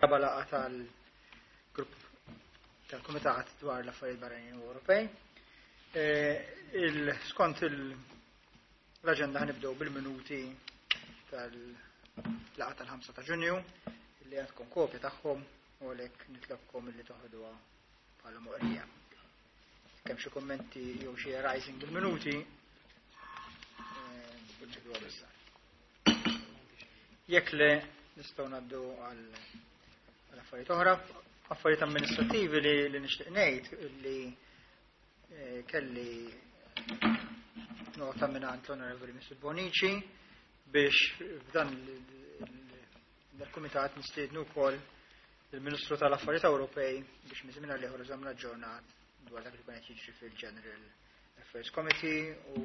Ir-raba' laqgħa tal-grupp tal-Kumitat dwar l-Affarijiet Barranin u Ewropej. Skont l-aġenda ħanibdew bil-minuti tal-laqgħa tal-5 ta' Ġunju li għandkom kopja tagħhom u għalhekk nitlobkom li toħduha bħala moqrija. Kemm xi kummenti jew xi arising bil-minuti, Jekk le, nistgħu ngħaddu għal affarijiet oħra, affarijiet amministrativi li, li nixtieq ngħid li eh, kelli nota minn l-Onorevoli Mr. Bonici biex f'dan il-kumitat nistiednu wkoll il-Ministru tal-Affarijiet Ewropej biex minn żmien għal ieħor iżommna aġġornat dwar dak li kien qed jiġri fil-General Affairs Committee u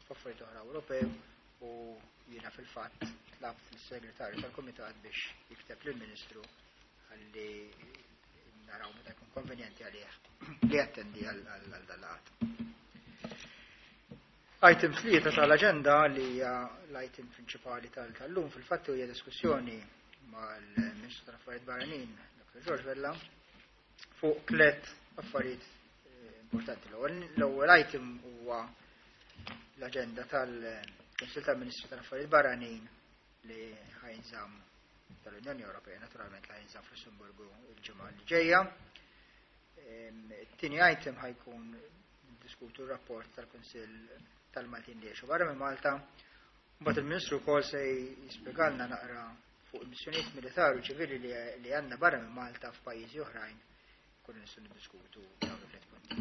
f'affarijiet oħra Ewropew u jiena fil-fatt tlabt lis-segretarju tal-Kumitat biex jikteb lill-Ministru ħalli naraw meta jkun konvenjenti għalih li jattendi għal dal-laqgħat. Item 3 tal-aġenda li hija l-item prinċipali tal-lum fil-fatt hija diskussjoni mal-Ministru tal-Affarijiet Barranin, Dr. George Vella, fuq tliet affarijiet importanti. L-ewwel item huwa l-aġenda tal-Kunsill tal-Ministri tal-Affarijiet Barranin li ħa jinżamm tal-Unjoni Ewropea, naturalment li ħa jinżamm fl-Lussemburgu il-ġimgħa li ġejja. It-tieni item ħa jkun diskutu r-rapport tal-Kunsill tal-Maltin li jgħixu barra minn Malta. Mbagħad il-Ministru wkoll se jispjegalna naqra fuq il-missjonijiet militari u ċivili li għandna barra minn Malta f'pajjiżi oħrajn kun nistgħu niddiskutu dawn it-tliet punti.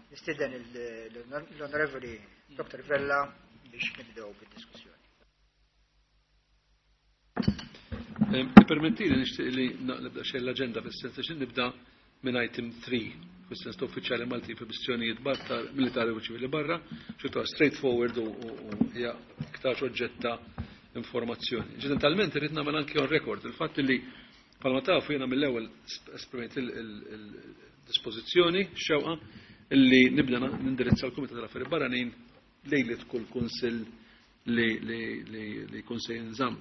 Nistieden l-Onorevoli Dr. Vella biex nibdew bid-diskussjoni. Permettili nixtieq li naqleb daqsxejn l-aġenda fis-sens li nibda minn item 3, fis-sens ta' uffiċjali Maltin fi missjonijiet militari u ċivili barra, xi straightforward u hija iktar oġġett ta' informazzjoni. Inċidentalment irrid nagħmel anki on record il-fatt li bħalma tafu jiena mill-ewwel esprimejt il-dispożizzjoni xewqa illi nibda nindirizza l-Kumitat tal-Affarijiet Barranin lejlet kull kunsill li jkun se jinżamm.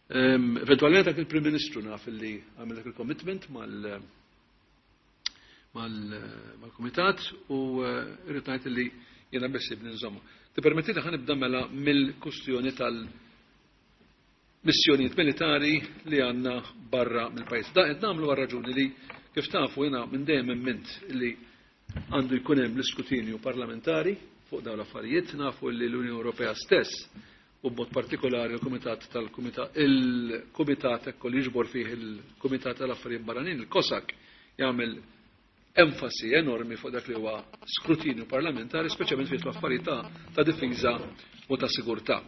Eventualment dak il-Prim Ministru naf li għamel dak il-commitment mal-Kumitat u irrid ngħid li jiena beħsiebni nżommu. Tippermettili ħa nibda mela mill-kustjoni tal-missjonijiet militari li għandna barra mill-pajjiż. Da qed nagħmlu għal raġuni li kif tafu jiena minn dejjem emmint li għandu jkun hemm l-iskrutinju parlamentari fuq dawn l-affarijiet, nafu li l-Unjoni Ewropea stess u b'mod partikolari il-Kumitat tal-Kumitat il-Kumitat ekku li jiġbor fih il-Kumitat tal-Affarijiet Barranin, il-COSAC, jagħmel enfasi enormi fuq dak li huwa skrutinju parlamentari, speċjalment fi affarijiet ta' difiża u ta' sigurtà.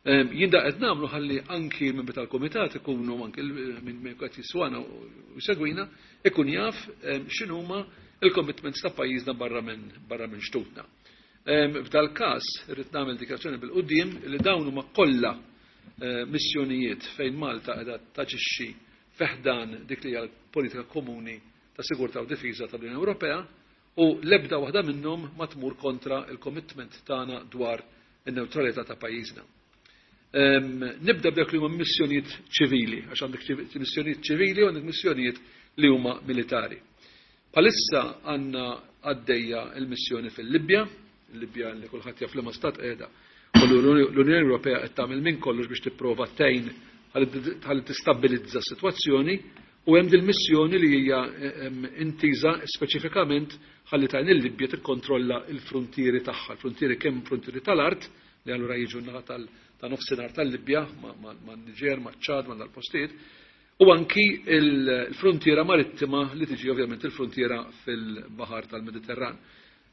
Jien da qed nagħmlu ħalli anki l-membri tal-Kumitat ikunu anki minn qed jiswana u jsegwina ikun jaf x'inhuma il-commitments ta' pajjiżna barra minn barra minn xtutna. F'dal każ irrid nagħmel dikjarazzjoni bil-quddiem li dawn huma kollha missjonijiet fejn Malta qiegħda taġixxi fi ħdan dik li hija l-politika komuni ta' sigurtà u difiża tal-Unjoni Ewropea u l-ebda waħda minnhom ma tmur kontra il-commitment tagħna dwar in-newtralità ta' pajjiżna. Nibda b'dak li huma missjonijiet ċivili, għax għandek missjonijiet ċivili u għandek missjonijiet li huma militari. Bħalissa għandna għaddejja il-missjoni fil-Libja, il-Libja li kulħadd jaf li ma stat qiegħda, u l-Unjoni Ewropea qed tagħmel minn kollox biex tipprova tgħin ħalli tistabbilizza s-sitwazzjoni u hemm dil-missjoni li hija intiża speċifikament ħalli tgħin il-Libja tikkontrolla l-fruntieri tagħha, l-fruntieri kemm fruntieri tal-art li allura jiġu n-naħa ta' nofsinhar tal-Libja ma' Niġer, ma' Ċad, ma' dal-postijiet, u anki l-fruntiera marittima li tiġi ovvjament il-fruntiera fil-Baħar tal-Mediterran.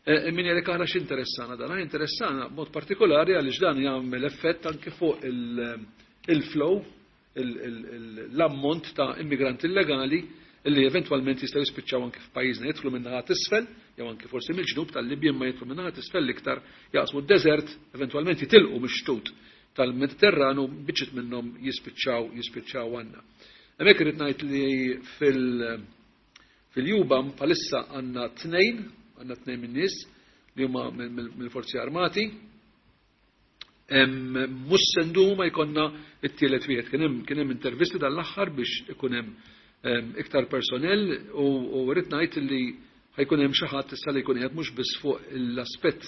Min jgħidlek aħna x'interessana dan? Aħna interessana b'mod partikolari għaliex dan jagħmel effett anki fuq il-flow, l-ammont ta' immigranti illegali li eventwalment jistgħu jispiċċaw anki f'pajjiżna, jidħlu minn naħa t'isfel, jew anki forsi mill-ġnub tal-Libja, imma jidħlu minn naħa t'isfel l-iktar jaqsmu d-deżert, eventwalment jitilqu mix-xtut tal-Mediterranu biċċiet minnhom jispiċċaw għandna. Hemmhekk irid ngħid li fil-EUBAM bħalissa għandna tnejn, għandna tnejn min-nies li huma mill-Forzi Armati. Mhux se ndumu ma jkollna t-tielet wieħed. Kien hemm intervisti dan l-aħħar biex ikun hemm iktar personnel u rrid ngħid li ħa jkun hemm xi ħadd issa li jkun qiegħed mhux biss fuq l-aspett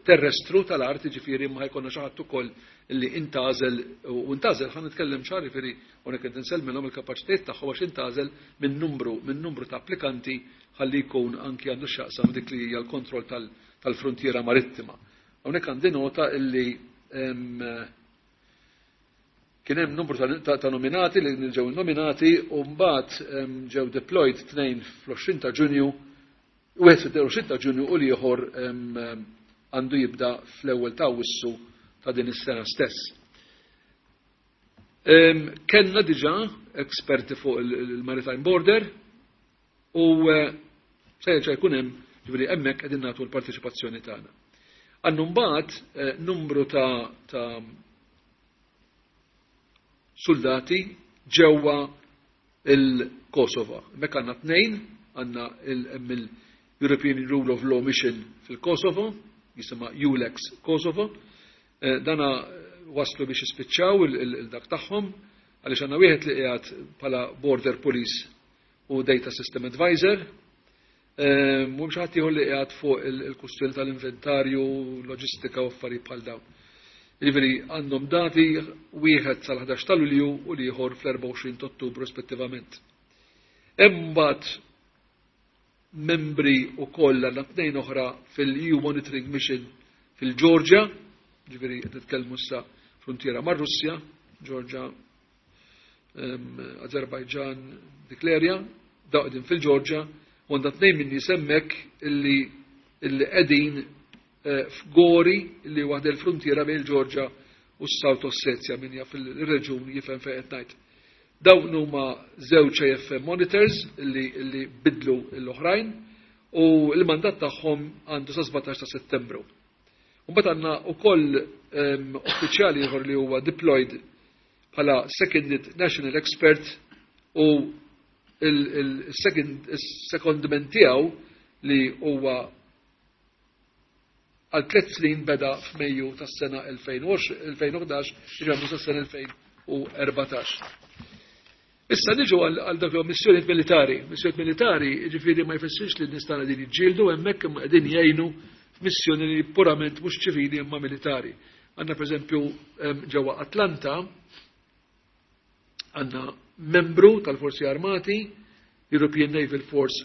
terrestru tal-art, ġifieri, ma ħa jkollna xi ħadd ukoll li intgħażel u intgħażel, ħa nitkellem ċar, ġifieri hawnhekk qed insellmilhom il-kapaċitajiet tagħhom għax intgħażel minn numru ta' applikanti ħalli jkun anki għandu x'jaqsam dik li hija l-kontroll tal-frontiera marittima. Hawnhekk għandi nota illi kien hemm numru ta' nominati li ġew nominati u mbagħad ġew deployed tnejn fl-20 ta' Ġunju, wieħed fil-20 ta' Ġunju u l-ieħor għandu jibda fl-ewwel ta' Awwissu ta' din is-sena stess. Kellna diġà esperti fuq il-Maritime Border u se jerġa' jkun hemm, ġifieri hemmhekk qegħdin nagħtu l-parteċipazzjoni tagħna. Għandu mbagħad numru ta' soldati ġewwa il-Kosovo. Hemmhekk għandna tnejn, għandna il-European Rule of Law Mission fil-Kosovo, jisimha EULEX Kosovo. Dana waslu biex jispiċċaw il-dak tagħhom, għaliex għandna wieħed li qiegħed bħala Border Police u Data System Advisor, mhux ħadd ieħor li qiegħed fuq il-kustjoni tal-inventarju, loġistika u affarijiet bħal dawn. Jiġifieri għandhom dati, wieħed sal-11 ta' Lulju u l-ieħor fl-24 ta' Ottubru rispettivament. Hemm mbagħad membri wkoll, għandna tnejn oħra fil-EU Monitoring Mission fil-Ġorġja, ġifieri qed nitkellmu issa frontiera mar-Russja, Ġorġja, Azerbajġan, dik l-area, daw qegħdin fil-Ġorġja, u għandha tnejn minn nies hemmhekk illi qegħdin f'Gori, illi waħda l-frontiera bejn il-Ġorġja u s-South Ossetia, min jaf il-reġun jifhem fejn qed ngħid. Dawn huma żewġ AFM monitors illi bidlu l-oħrajn u l-mandat tagħhom għandu sa 17 ta' Settembru. Mbagħad għandna wkoll uffiċjali ieħor li huwa deployed bħala Seconded National Expert u il-secondment tiegħu li huwa għal 3 snin beda f'Mejju tas-sena 2011, ġemmu sas-sena 2014. Issa niġu għal dak missjonijiet militari. Missjonijiet militari, ġifieri, ma jfissirx li n-nies tagħna din jiġġieldu hemmhekk, imma qegħdin jgħinu f'missjoni li purament mhux ċivili imma militari. Għandna pereżempju ġewwa Atlanta għandna membru tal-Forzi Armati, European Naval Force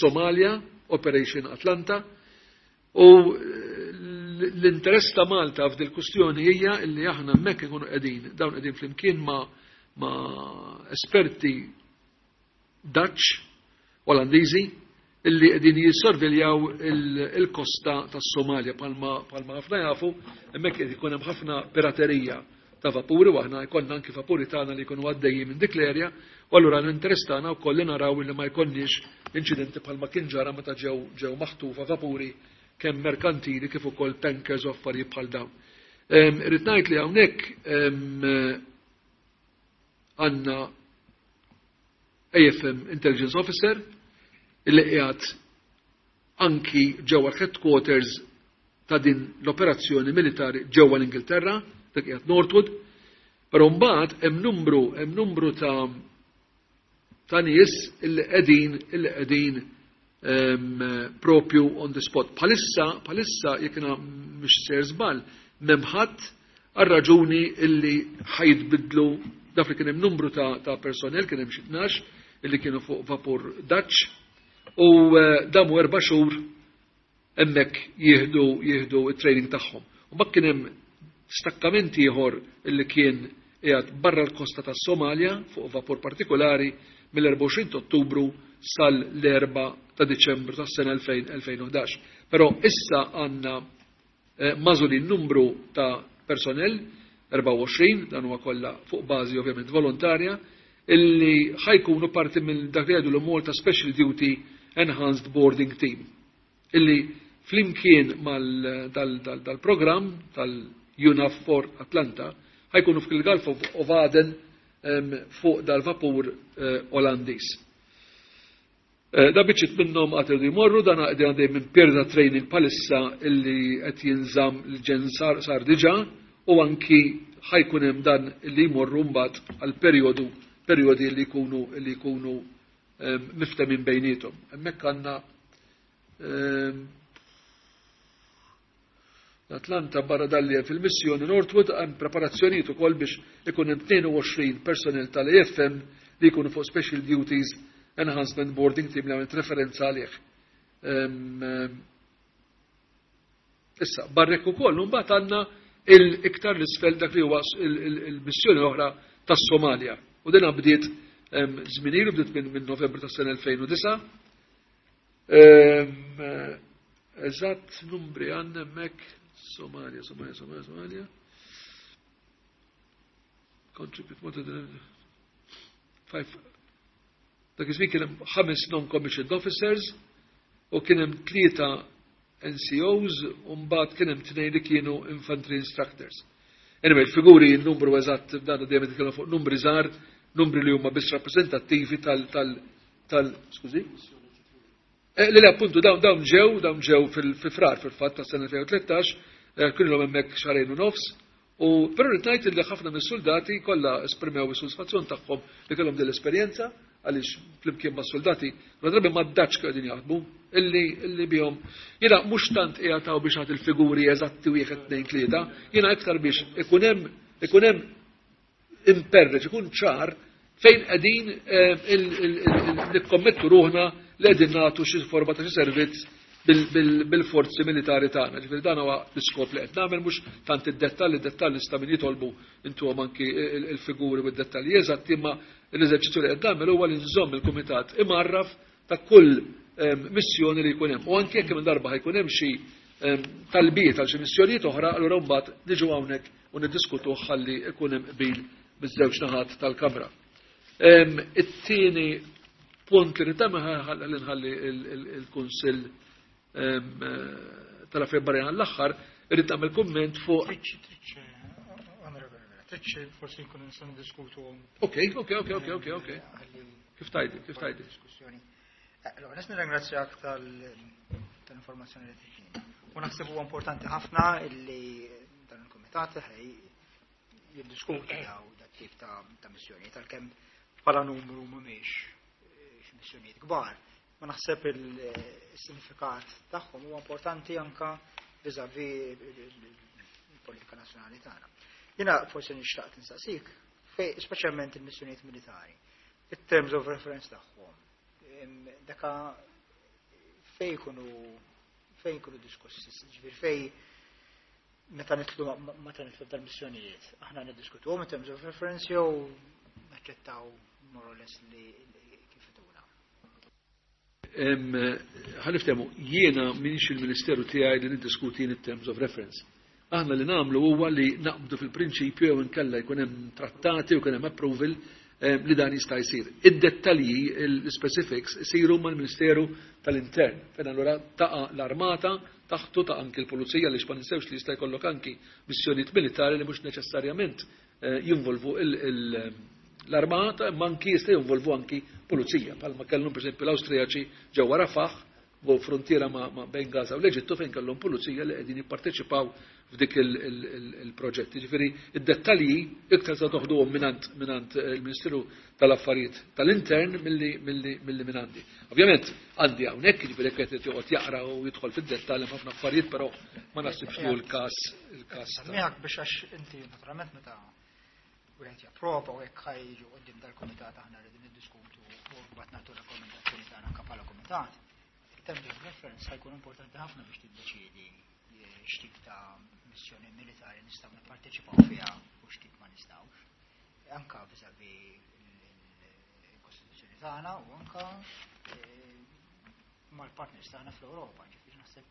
Somalia, Operation Atlanta, u l-interess ta' Malta f'dil kustjoni hija illi aħna hemmhekk ikunu qegħdin, dawn qegħdin flimkien ma' esperti Dutch, Olandiżi, illi qegħdin jissorveljaw il-kosta tas-Somalja. Bħalma ħafna jafu, hemmhekk qed ikun hemm ħafna piraterija ta' vapuri u aħna jkollna anki vapuri tagħna li jkunu għaddejjin minn dik l-erja, u allura l-interess tagħna wkoll li naraw li ma jkollniex inċidenti bħalma kien ġara meta ġew maħtufa vapuri kemm merkantili kif ukoll tankers u affarijiet bħal dawn. Irrid ngħid li hawnhekk għandna AFM Intelligence Officer illi qiegħed anki ġewwa headquarters ta' din l-operazzjoni militari ġewwa l-Ingilterra, dak qiegħed Northwood, però mbagħad hemm numru ta' nies illi qegħdin propju on the spot. Bħalissa, jekk mhux sejjer żball, m'hemm ħadd għal raġuni illi ħa jitbiddlu dak li kien hemm numru ta' personnel, kien hemm xi 12 illi kienu fuq vapur Dutch u damu 4 xhur hemmhekk jieħdu it-training tagħhom. U mbagħad kien hemm stakkamenti ieħor illi kien qiegħed barra l-kosta tas-Somalja fuq vapur partikolari mill-24 Ottubru sal-4 ta' Diċembru tas-sena 2011. Però issa għandna magħżulin numru ta' personnel, 24, dan huwa kollha fuq bażi ovvjament volontarja, illi ħa jkunu parti minn dak li jgħidu l-Malta Special Duty Enhanced Boarding Team. Illi flimkien mal dal-program tal-EUNAVFOR Atlanta ħa jkunu fil-Gulf of Aden fuq dal-vapur Olandiż. Da biċċiet minnhom għad iridu jmorru, dan għadin għaddej minn period ta' training bħalissa illi qed jinżamm l-ġen sar diġà u anki ħa jkun hemm dan illi jmorru mbagħad għal perjodu. perjodi li jkunu li jkunu miftemin bejniethom. Hemmhekk għandna l-Atlanta barra dalli fil-missjoni Northwood hemm preparazzjonijiet ukoll biex ikun hemm 22 personnel tal-AFM li jkunu fuq Special Duties Enhancement Boarding Team li għamilt referenza għalih. Issa, barrek ukoll, mbagħad għandna il-iktar l-isfel dak li huwa il-missjoni l-oħra tas-Somalja. U din bdiet żmien ilu, bdiet minn Novembru tas-sena 2009. Eżatt numri għandna hemmhekk Somalia, Somalia, Somalia, Somalia. Contribute more than five. Dak iż-żmien kien hemm 5 non-commissioned officers u kien hemm 3 NCOs u mbagħad kien hemm 2 li kienu infantry instructors. Anyway, il-figuri, il-numru eżatt, dan dejjem nitkellmu fuq numri żgħar, numri li huma biss rappreżentattivi tal tal tal skużi? Li appuntu dawn ġew fil-frar fil-fatt tas-sena 2013, kienu l hemmhekk xahrejn u nofs, u però rrid ngħid li ħafna mis-soldati kollha esprimew is-sodisfazzjon tagħhom li kellhom din l-esperjenza, għaliex flimkien mas-soldati ma drabi ma ddaċ qegħdin jaħdmu illi bihom. Jiena mhux tant qiegħed biex nagħti il-figuri eżatti 1, 2, 3, jiena iktar biex ikun hemm imperreġ, ikun ċar fejn qegħdin nikkommettu ruħna li qegħdin nagħtu xi forma ta' xi servizz bil-forzi militari tagħna. Ġifieri dan huwa l-iskop li qed nagħmel, mhux tant id-dettalji, id-dettalji nista' min jitolbu intuhom anki il-figuri u d-dettalji eżatti, imma l-eżerċizzju li qed nagħmel huwa li nżomm il-kumitat imarraf ta' kull missjoni li jkun hemm. U anke jekk minn darba ħajkun hemm xi talbiet għal xi missjonijiet oħra, allura mbagħad niġu hawnhekk u niddiskutu ħalli jkun hemm qbil biż-żewġ naħat tal-Kamra. It-tieni punt li rrid nagħmel nħalli il-Kunsill tal-Affarijiet Barranin għall-aħħar, irrid nagħmel kumment fuq Tridx forsi nkunu nistgħu niddiskutu. Ok. Kif tajdi, kif tajdi? Diskussjoni. Allora, nis nirringrazzjak tal-informazzjoni li tiġina. U naħseb huwa importanti ħafna illi dan il-kumitat ħej jiddiskuti daw dat tip ta' missjoni, tal-kemm bħala numru mhumiex xi missjonijiet kbar. Ma naħseb il-sinifikat tagħhom huwa importanti anka vis-à-vis il-politika nazzjonali tagħna. Jiena forsi nixtaq tinsaqsik, speċjalment il-missjonijiet militari, it-terms of reference tagħhom, daka fej jkunu diskussi, ġifier fej meta nitlu dal-missjonijiet, aħna niddiskutuhom in terms of reference jew naċċettaw more or less li kif ituna. Ħa niftehmu, jiena minix il-Ministeru tiegħi li niddiskuti in terms of reference. Aħna li nagħmlu huwa li naqbdu fil-prinċipju jew inkella jkun hemm trattati u jkun hemm approval li dan jista' jsir. Id-dettalji, il-specifics, isiru mal-Ministeru tal-Intern. Fejn allura taqa' l-armata, taħtu ta' anki l-pulizija, li ma ninsewx li jista' jkollok anki missjonijiet militari li mhux neċessarjament jinvolvu l-armata, imma anki jista' jinvolvu anki pulizija. Palma kellhom pereżempju l-Awstrijaċi ġewwa Rafah, u frontiera ma' bejn Gaza u l-Eġittu, fejn kellhom pulizija li qegħdin jipparteċipaw f'dik il-proġett. Jiġifieri id-dettalji iktar se toħduhom minant il-Ministeru tal-Affarijiet tal-Intern milli minn għandi. Ovvjament għandi hawnhekk, jiġifieri jekk qed joqgħod jaqra u jidħol fid-dettall hemm ħafna affarijiet, però ma naħsibx li hu l-każ ta' Miegħek biex għax inti naturalment meta wieħed japprova u hekk ħajġu quddiem dal-kumitat aħna rridu niddiskutu u mbagħad nagħtu rakkomandazzjoni tagħna anke bħala kumitat. Il-terms of reference ħajkun importanti ħafna biex tiddeċiedi x'tip ta' missjoni militari nistgħu nipparteċipaw fiha u x'tip ma nistgħux. Anka vis-à-vis il-Kostituzzjoni tagħna u anka mal-partners tagħna fl-Ewropa, ġifieri naħseb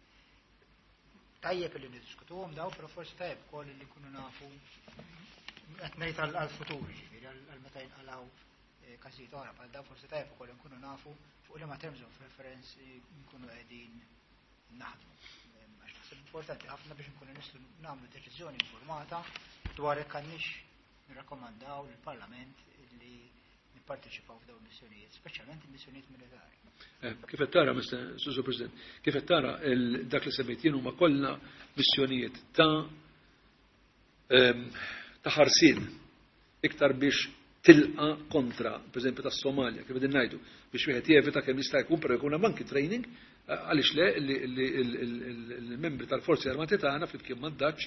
tajjeb li niddiskutuhom daw, però forsi tajjeb ukoll li nkunu nafu qed ngħid għall-futur, ġifieri għal meta jinqalgħu każijiet oħra bħal daw, forsi tajjeb ukoll nkunu nafu fuq liema terms of reference nkunu qegħdin naħdmu. Għax naħseb importanti ħafna biex nkunu nistgħu nagħmlu deċiżjoni informata dwar jekk għandniex nirrakkomandaw lill-Parlament li nipparteċipaw f'dawn il-missjonijiet, speċjalment il-missjonijiet militari. Kif qed tara, Mister Susu President, kif qed tara dak li semmejt jien huma kollha missjonijiet ta' ħarsien iktar biex Tilqa kontra, per eżempju, tas-Somalja, kif qegħdin ngħidu, biex wieħed jevita kemm jista' jkun, però jkun hemm anki training għaliex le li l-membri tal-Forzi Armati tagħna flimkien mad-Dutch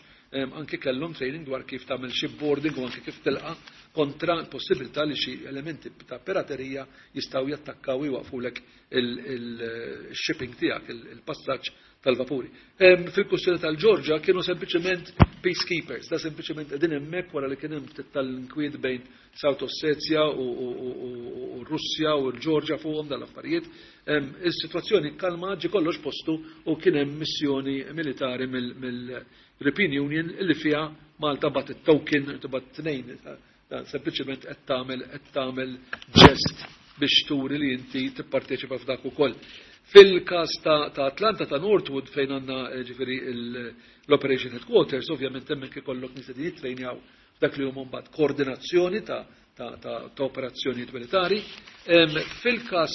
anki kellhom training dwar kif tagħmel shipboarding u anki kif tilqa kontra l-possibilità li xi elementi ta' piraterija jistgħu jattakkaw u jwaqfulek il-shipping tiegħek, il-passaġġ tal-vapuri. Fil-kwistjoni tal-Ġorġa kienu sempliċement peacekeepers, da sempliċement qegħdin hemmhekk wara li kien hemm ftit tal-inkwiet bejn South Ossetia u Russja u l-Ġorġa fuqhom dal-affarijiet. Is-sitwazzjoni kalma, ġi kollox postu u kien hemm missjoni militari mill-European Union li fiha Malta bagħat it-token, tibgħat tnejn, dan sempliċement qed tagħmel ġest biex turi li inti tipparteċipa f'dak ukoll. Fil-każ ta' Atlanta, ta' Northwood, fejn għandna ġifieri l-Operation Headquarters, ovvjament hemmhekk ikollok nies li jittrejnjaw dak li huma mbagħad koordinazzjoni ta' operazzjonijiet militari. Fil-każ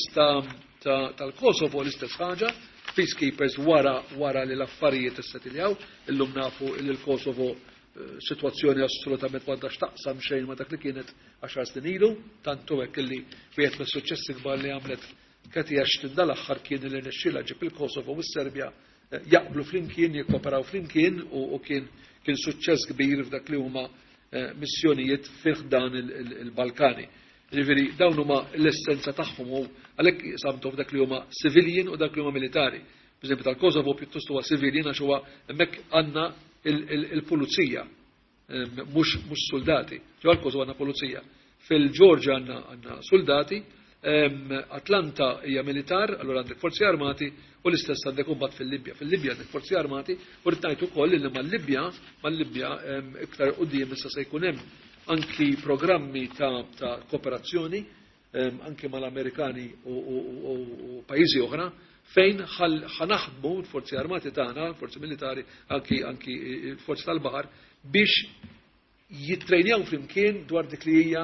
tal-Kosovo l-istess ħaġa, peacekeepers wara li l-affarijiet issetiljaw. Illum nafu li l-Kosovo situazzjoni assolutament m'għandha x'taqsam xejn ma dak li kienet 10 snin ilu, tantu hekk li wieħed mis-suċċessi kbar li għamlet Cathy Ashton dal-aħħar kien li rnexxielha ġib il-Kosovo u s-Serbja jaqblu flimkien, jikkoperaw flimkien u kien suċċess kbir f'dak li huma missjonijiet fih dan il-Balkani. Ġifieri dawn huma l-essenza tagħhom u għalhekk samtu f'dak li huma civilian u dak li huma militari. Per eżempju, tal-Kosovo pjuttost huwa civilian għax huwa hemmhekk għandna il-pulizija, mhux soldati. Ġewwa l-Kosovo għandna pulizija. Fil-Ġorġa għandna soldati, Atlanta hija militar, allura għandek forzi armati u l-istess għandek imbagħad fil-Libja. Fil-Libja għandek forzi armati u rrid ngħid ukoll li mal-Libja iktar quddiem issa se jkun hemm anki programmi ta' kooperazzjoni anki mal-Amerikani u pajjiżi oħra fejn ħa naħdmu l-forzi armati tagħna, forzi militari, anki forzi tal-baħar biex jittrejnjaw flimkien dwar dik li hija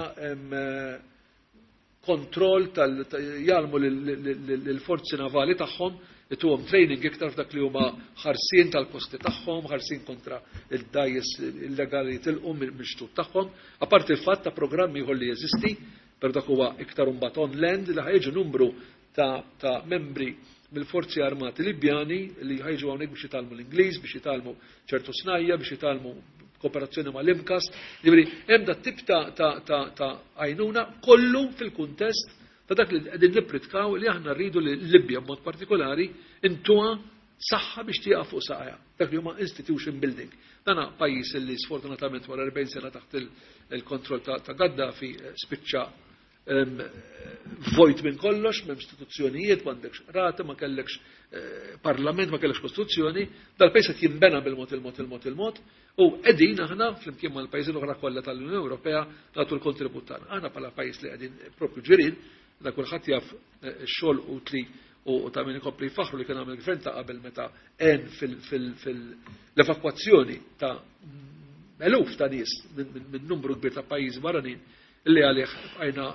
kontroll tal jgħallmu l-forzi navali tagħhom, ituhom training iktar f'dak li huma ħarsien tal-kosti tagħhom, ħarsien kontra il-dgħajjes illegali tilqu mill-xtut tagħhom. Apparti il-fatt ta' programmi ieħor li jeżisti, per dak huwa iktar imbagħad on land, li ħa jiġu numru ta' membri mill-forzi armati Libjani li ħa jiġu hawnhekk biex jitgħallmu l-Ingliż, biex jitgħallmu ċertu snajja, biex jitgħallmu kooperazzjoni ma' l-MCAST. Ġifieri, hemm dat tip ta' għajnuna kollu fil-kuntest ta' dak li qegħdin nippritkaw li aħna rridu li Libja b'mod partikolari intuha saħħa biex tieqaf fuq saqajha. Dak li huma institution building. Dana pajjiż li sfortunatament wara 40 sena taħt il-kontroll ta' Gaddafi spiċċa vojt minn kollox, m'hemm istituzzjonijiet, m'għandekx rata, ma kellekx parlament, ma kellekx kostituzzjoni, dal-pajjiż qed jinbena bil-mod il-mod il-mod il-mod, u qegħdin aħna flimkien mal-pajjiżi l-oħra kollha tal-Unjoni Ewropea nagħtu l-kontribut tagħna. Aħna bħala pajjiż li qegħdin propju ġirien, da kulħadd jaf x-xogħol utli u ta' min ikompli faħru li kien għamel gvern ta' qabel meta għen fil-evakwazzjoni ta' eluf ta' nies minn numru kbir ta' pajjiżi barranin li għalih bqajna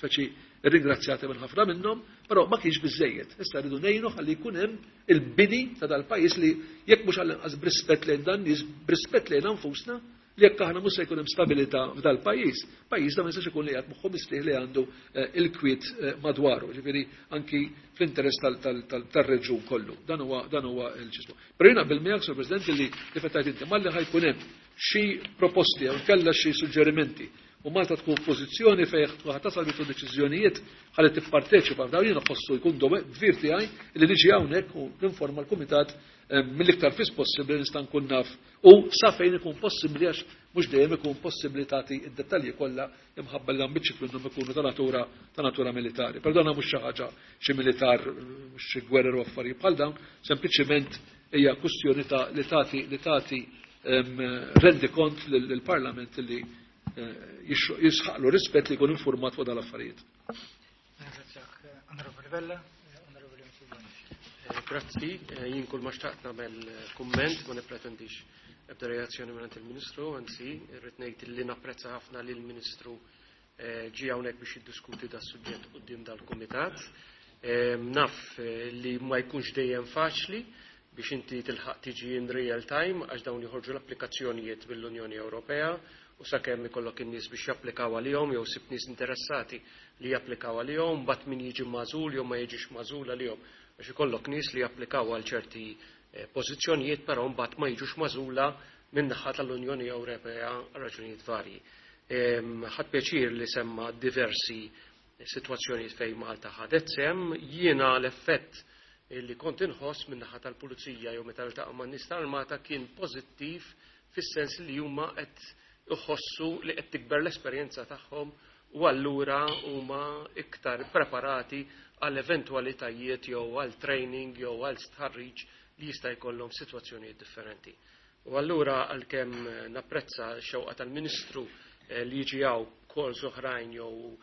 speċi ringrazzjati minn ħafna minnhom, però ma kienx biżejjed. Issa rridu ngħinu ħalli jkun hemm il-bini ta' dal-pajjiż li jekk mhux għall-inqas b'rispett lejn dan nies, b'rispett lejn nfusna, li jekk aħna mhux se jkun hemm stabilità f'dal-pajjiż, pajjiż da ma jistax ikun li qed moħħu mistrieħ li għandu il-kwiet madwaru, ġifieri anki fl-interess tar-reġjun kollu. Dan huwa l-ċismu. Però jiena bil miegħek, Sur President, li kif qed inti malli ħa jkun hemm xi proposti jew kellha xi suġġerimenti u Malta tkun f'pożizzjoni fejn ħa tasal bitu deċiżjonijiet ħalli tipparteċipa f'dawn, jiena ħossu jkun dvir tiegħi li niġi hawnhekk u ninforma l-kumitat mill-iktar fis possibbli nista' nkun naf u sa fejn ikun possibbli, għax mhux dejjem ikun possibbli tagħti id-dettalji kollha imħabba li ambiċi minnhom ikunu ta' natura militari. Però mhux xi ħaġa xi militar, mhux xi gwerer u affarijiet bħal dawn, sempliċiment hija kwistjoni ta' li tagħti rendi kont lill-Parlament li jisħaqlu rispett li jkun informat fuq dal-affarijiet. Ringrazzjak, Onorevoli Vella, Onorevoli Mifsud. Grazzi, jien kull ma xtaqt nagħmel kumment, ma nippretendix ebda reazzjoni minn il-Ministru, anzi, irrid ngħid li napprezza ħafna li l-Ministru ġie hawnhekk biex jiddiskuti da suġġett quddiem dal-kumitat. Naf li ma jkunx dejjem faċli biex inti tilħaq tiġi in real time għax dawn joħorġu l-applikazzjonijiet mill-Unjoni Ewropea. u sakemm ikollok in-nies biex japplikaw għalihom jew sib nies interessati li japplikaw għalihom, mbagħad min jiġi magħżul jew ma jiġix magħżul għalihom. Għax ikollok nies li japplikaw għal ċerti pożizzjonijiet però mbagħad ma jiġux magħżula min-naħa tal-Unjoni Ewropea għal raġunijiet varji. Ħadt pjaċir li semma diversi sitwazzjonijiet fejn Malta ħadet sehem, jiena l-effett li kont inħoss min-naħa tal-pulizija jew meta niltaqa' man-nies tal-armata kien pożittiv fis-sens li huma qed iħossu li qed tikber l-esperjenza tagħhom u allura huma iktar preparati għal eventwalitajiet jew għal training jew għal stħarriġ li jista' jkollhom f'sitwazzjonijiet differenti. U allura għalkemm napprezza x-xewqa tal-Ministru li jiġi hawn calls oħrajn jew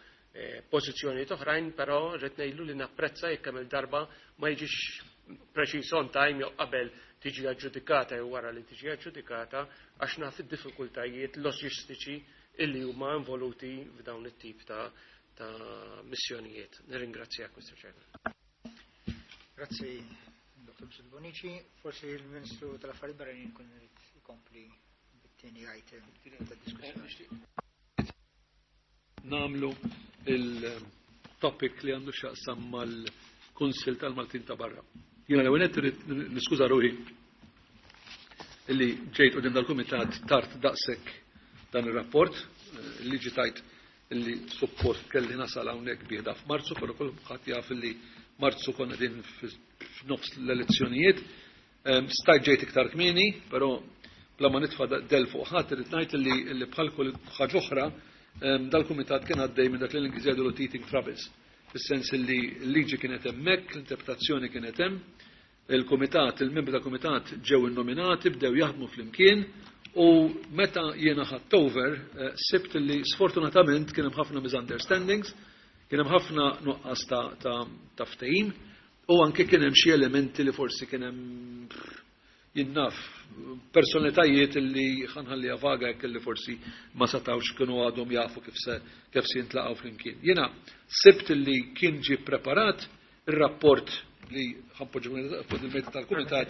pożizzjonijiet oħrajn, però rrid ngħidlu li napprezza jekk kemm il-darba ma jiġix preċiż on time jew qabel tiġi aġġudikata jew wara li tiġi aġġudikata għax naf id-diffikultajiet loġistiċi illi huma involuti f'dawn it-tip ta' ta' missjonijiet. Nirringrazzjak, Mr. Chairman. Grazzi, Dr. Mifsud Bonnici. Forsi il-Ministru tal-Affarijiet Barranin kun irid ikompli bit-tieni item ta' diskussjoni. Nagħmlu il-topic li għandu x'jaqsam mal-Kunsill tal-Maltin ta' barra. Jiena l-ewwel nett irrid niskuża ruħi illi ġejt quddiem dal-kumitat tard daqshekk dan ir-rapport. Il-liġi tgħid illi suppost kelli nasal hawnhekk bih da f'Marzu, però kulħadd jaf illi Marzu konna qegħdin f'nofs l-elezzjonijiet. Stajt ġejt iktar kmieni, però bla ma nitfa' del fuq ħadd irrid ngħid illi bħal kull ħaġa oħra dal-kumitat kien għaddej minn dak li l-Ingliżi jgħidulu teething troubles, fis-sens illi l-liġi kienet hemmhekk, l-interpretazzjoni kienet hemm, il-kumitat, il-membri tal-kumitat ġew innominati, bdew jaħdmu flimkien u meta jiena ħadt over sibt li sfortunatament kien hemm ħafna misunderstandings, kien hemm ħafna nuqqas ta' ftehim u anke kien hemm xi elementi li forsi kien hemm jien naf personalitajiet li ħa nħalliha vaga jekk li forsi ma setgħux kienu għadhom jafu kif se kif se jintlaqgħu flimkien. Jiena sibt li kien ġie preparat ir-rapport li ħa npoġġu fuq il-mejda tal-kumitat.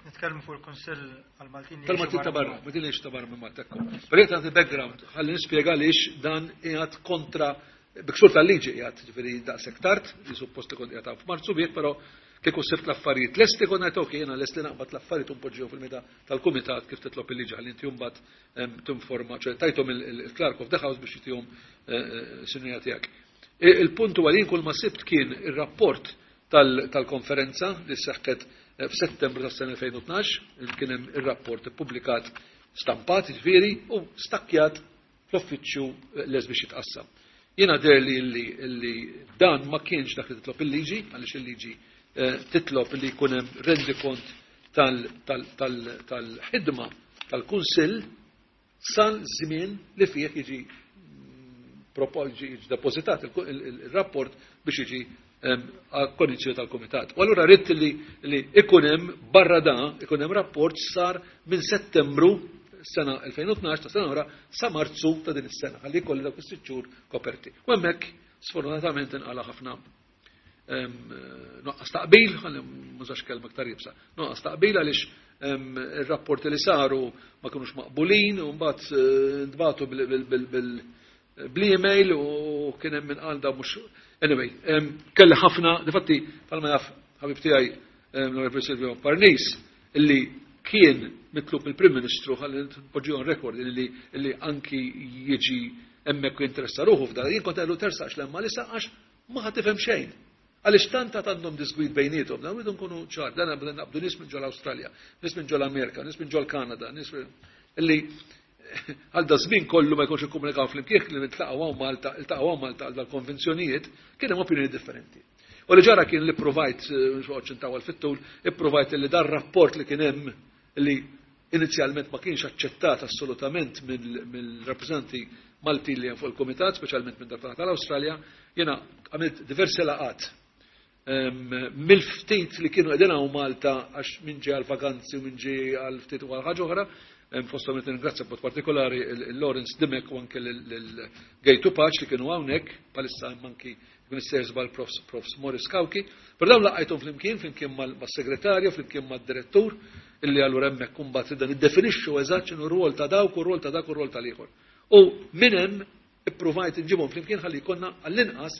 Nitkellmu fuq il-Kunsill għal-Maltin. Tal-Maltin ta' barra, Maltin li ta' barra minn Malta. Però jien tagħti background, ħalli nispjega għaliex dan qiegħed kontra bi ksur tal-liġi qiegħed ġifieri daqshekk tard, li suppost li kont qiegħed f'Marzu bih, però kieku sibt l-affarijiet lesti kont ngħid ok, jiena lest li naqbad l-affarijiet u npoġġihom fil-mejda tal-kumitat kif titlob il-liġi ħalli inti mbagħad tinforma, ċe tajthom il-Clerk of the House biex jtihom sinjura tiegħek. Il-punt huwa li jien kull ma sibt kien ir-rapport tal-konferenza li seħħet f'Settembru tas-sena 2012, kien hemm ir-rapport ippubblikat stampat, ġifieri, u stakkjat fl-uffiċċju les biex jitqassam. Jiena deher li li dan ma kienx dak li titlob il-liġi, għaliex il-liġi titlob li jkun hemm rendikont tal-ħidma tal-Kunsill sal-żmien li fih jiġi jiġi depożitat il-rapport biex jiġi konjizzjoni tal-Kumitat. U allura rrid li ikun hemm barra da, ikun hemm rapport sar minn Settembru sena 2012 ta' sena oħra sa Marzu ta' din is-sena, ħalli jkolli dawk is-6 xhur koperti. U hemmhekk sfortunatament inqala ħafna nuqqas taqbil, ħalli mużax kelma aktar iebsa, nuqqas taqbil għaliex ir-rapporti li saru ma kinux maqbulin u mbagħad ntbagħtu bl-email u kien hemm min qal da mhux. Anyway, kelli ħafna, difatti bħalma jaf ħabib tiegħi l-Onorevoli Silvio Parnis, illi kien mitlub mill-Prim Ministru ħalli npoġġi on record illi anki jiġi hemmhekk u jinteressa ruħu f'dan. Jien kont għedtlu tersaqx 'l hemm għalissa għax ma ħa tifhem xejn. Għaliex tant għandhom disgwid bejniethom, dan rridu nkunu ċar, dan nabdu naqbdu nies minn ġol-Awstralja, nies minn ġol-Amerika, nies minn ġol-Kanada, nies illi għal da żmien kollu ma jkunx ikkomunikaw flimkien li niltaqgħu hawn Malta, iltaqgħu hawn Malta għal dal-konvenzjonijiet, kien hemm opinjoni differenti. U li ġara kien li provajt, mhux noqgħodx intawwal fit-tul, ipprovajt li dar rapport li kien hemm li inizjalment ma kienx aċċettat assolutament mill-rappreżentanti Maltin li hemm fuq il-Kumitat, speċjalment minn dak tal-Awstralja, jiena għamilt diversi laqgħat mill-ftit li kienu qegħdin hawn Malta għax min ġie għal vaganzi u min ġie għal ftit u għal ħaġa oħra, fosthom qed ningrazzja b'mod partikolari il-Lawrence Dimech u anke l-Gay Tupac li kienu hawnhekk, bħalissa hemm anki Minister żball Profs Morris Cauchi, però dawn laqajthom flimkien mas-segretarju, flimkien mad-direttur, illi allura hemmhekk imbagħad ridna niddefinixxu eżatt x'inhu r-rwol ta' dawk u r-rwol ta' dak u r-rwol tal-ieħor. U minn hemm ippruvajt inġibhom flimkien ħalli jkollna għall-inqas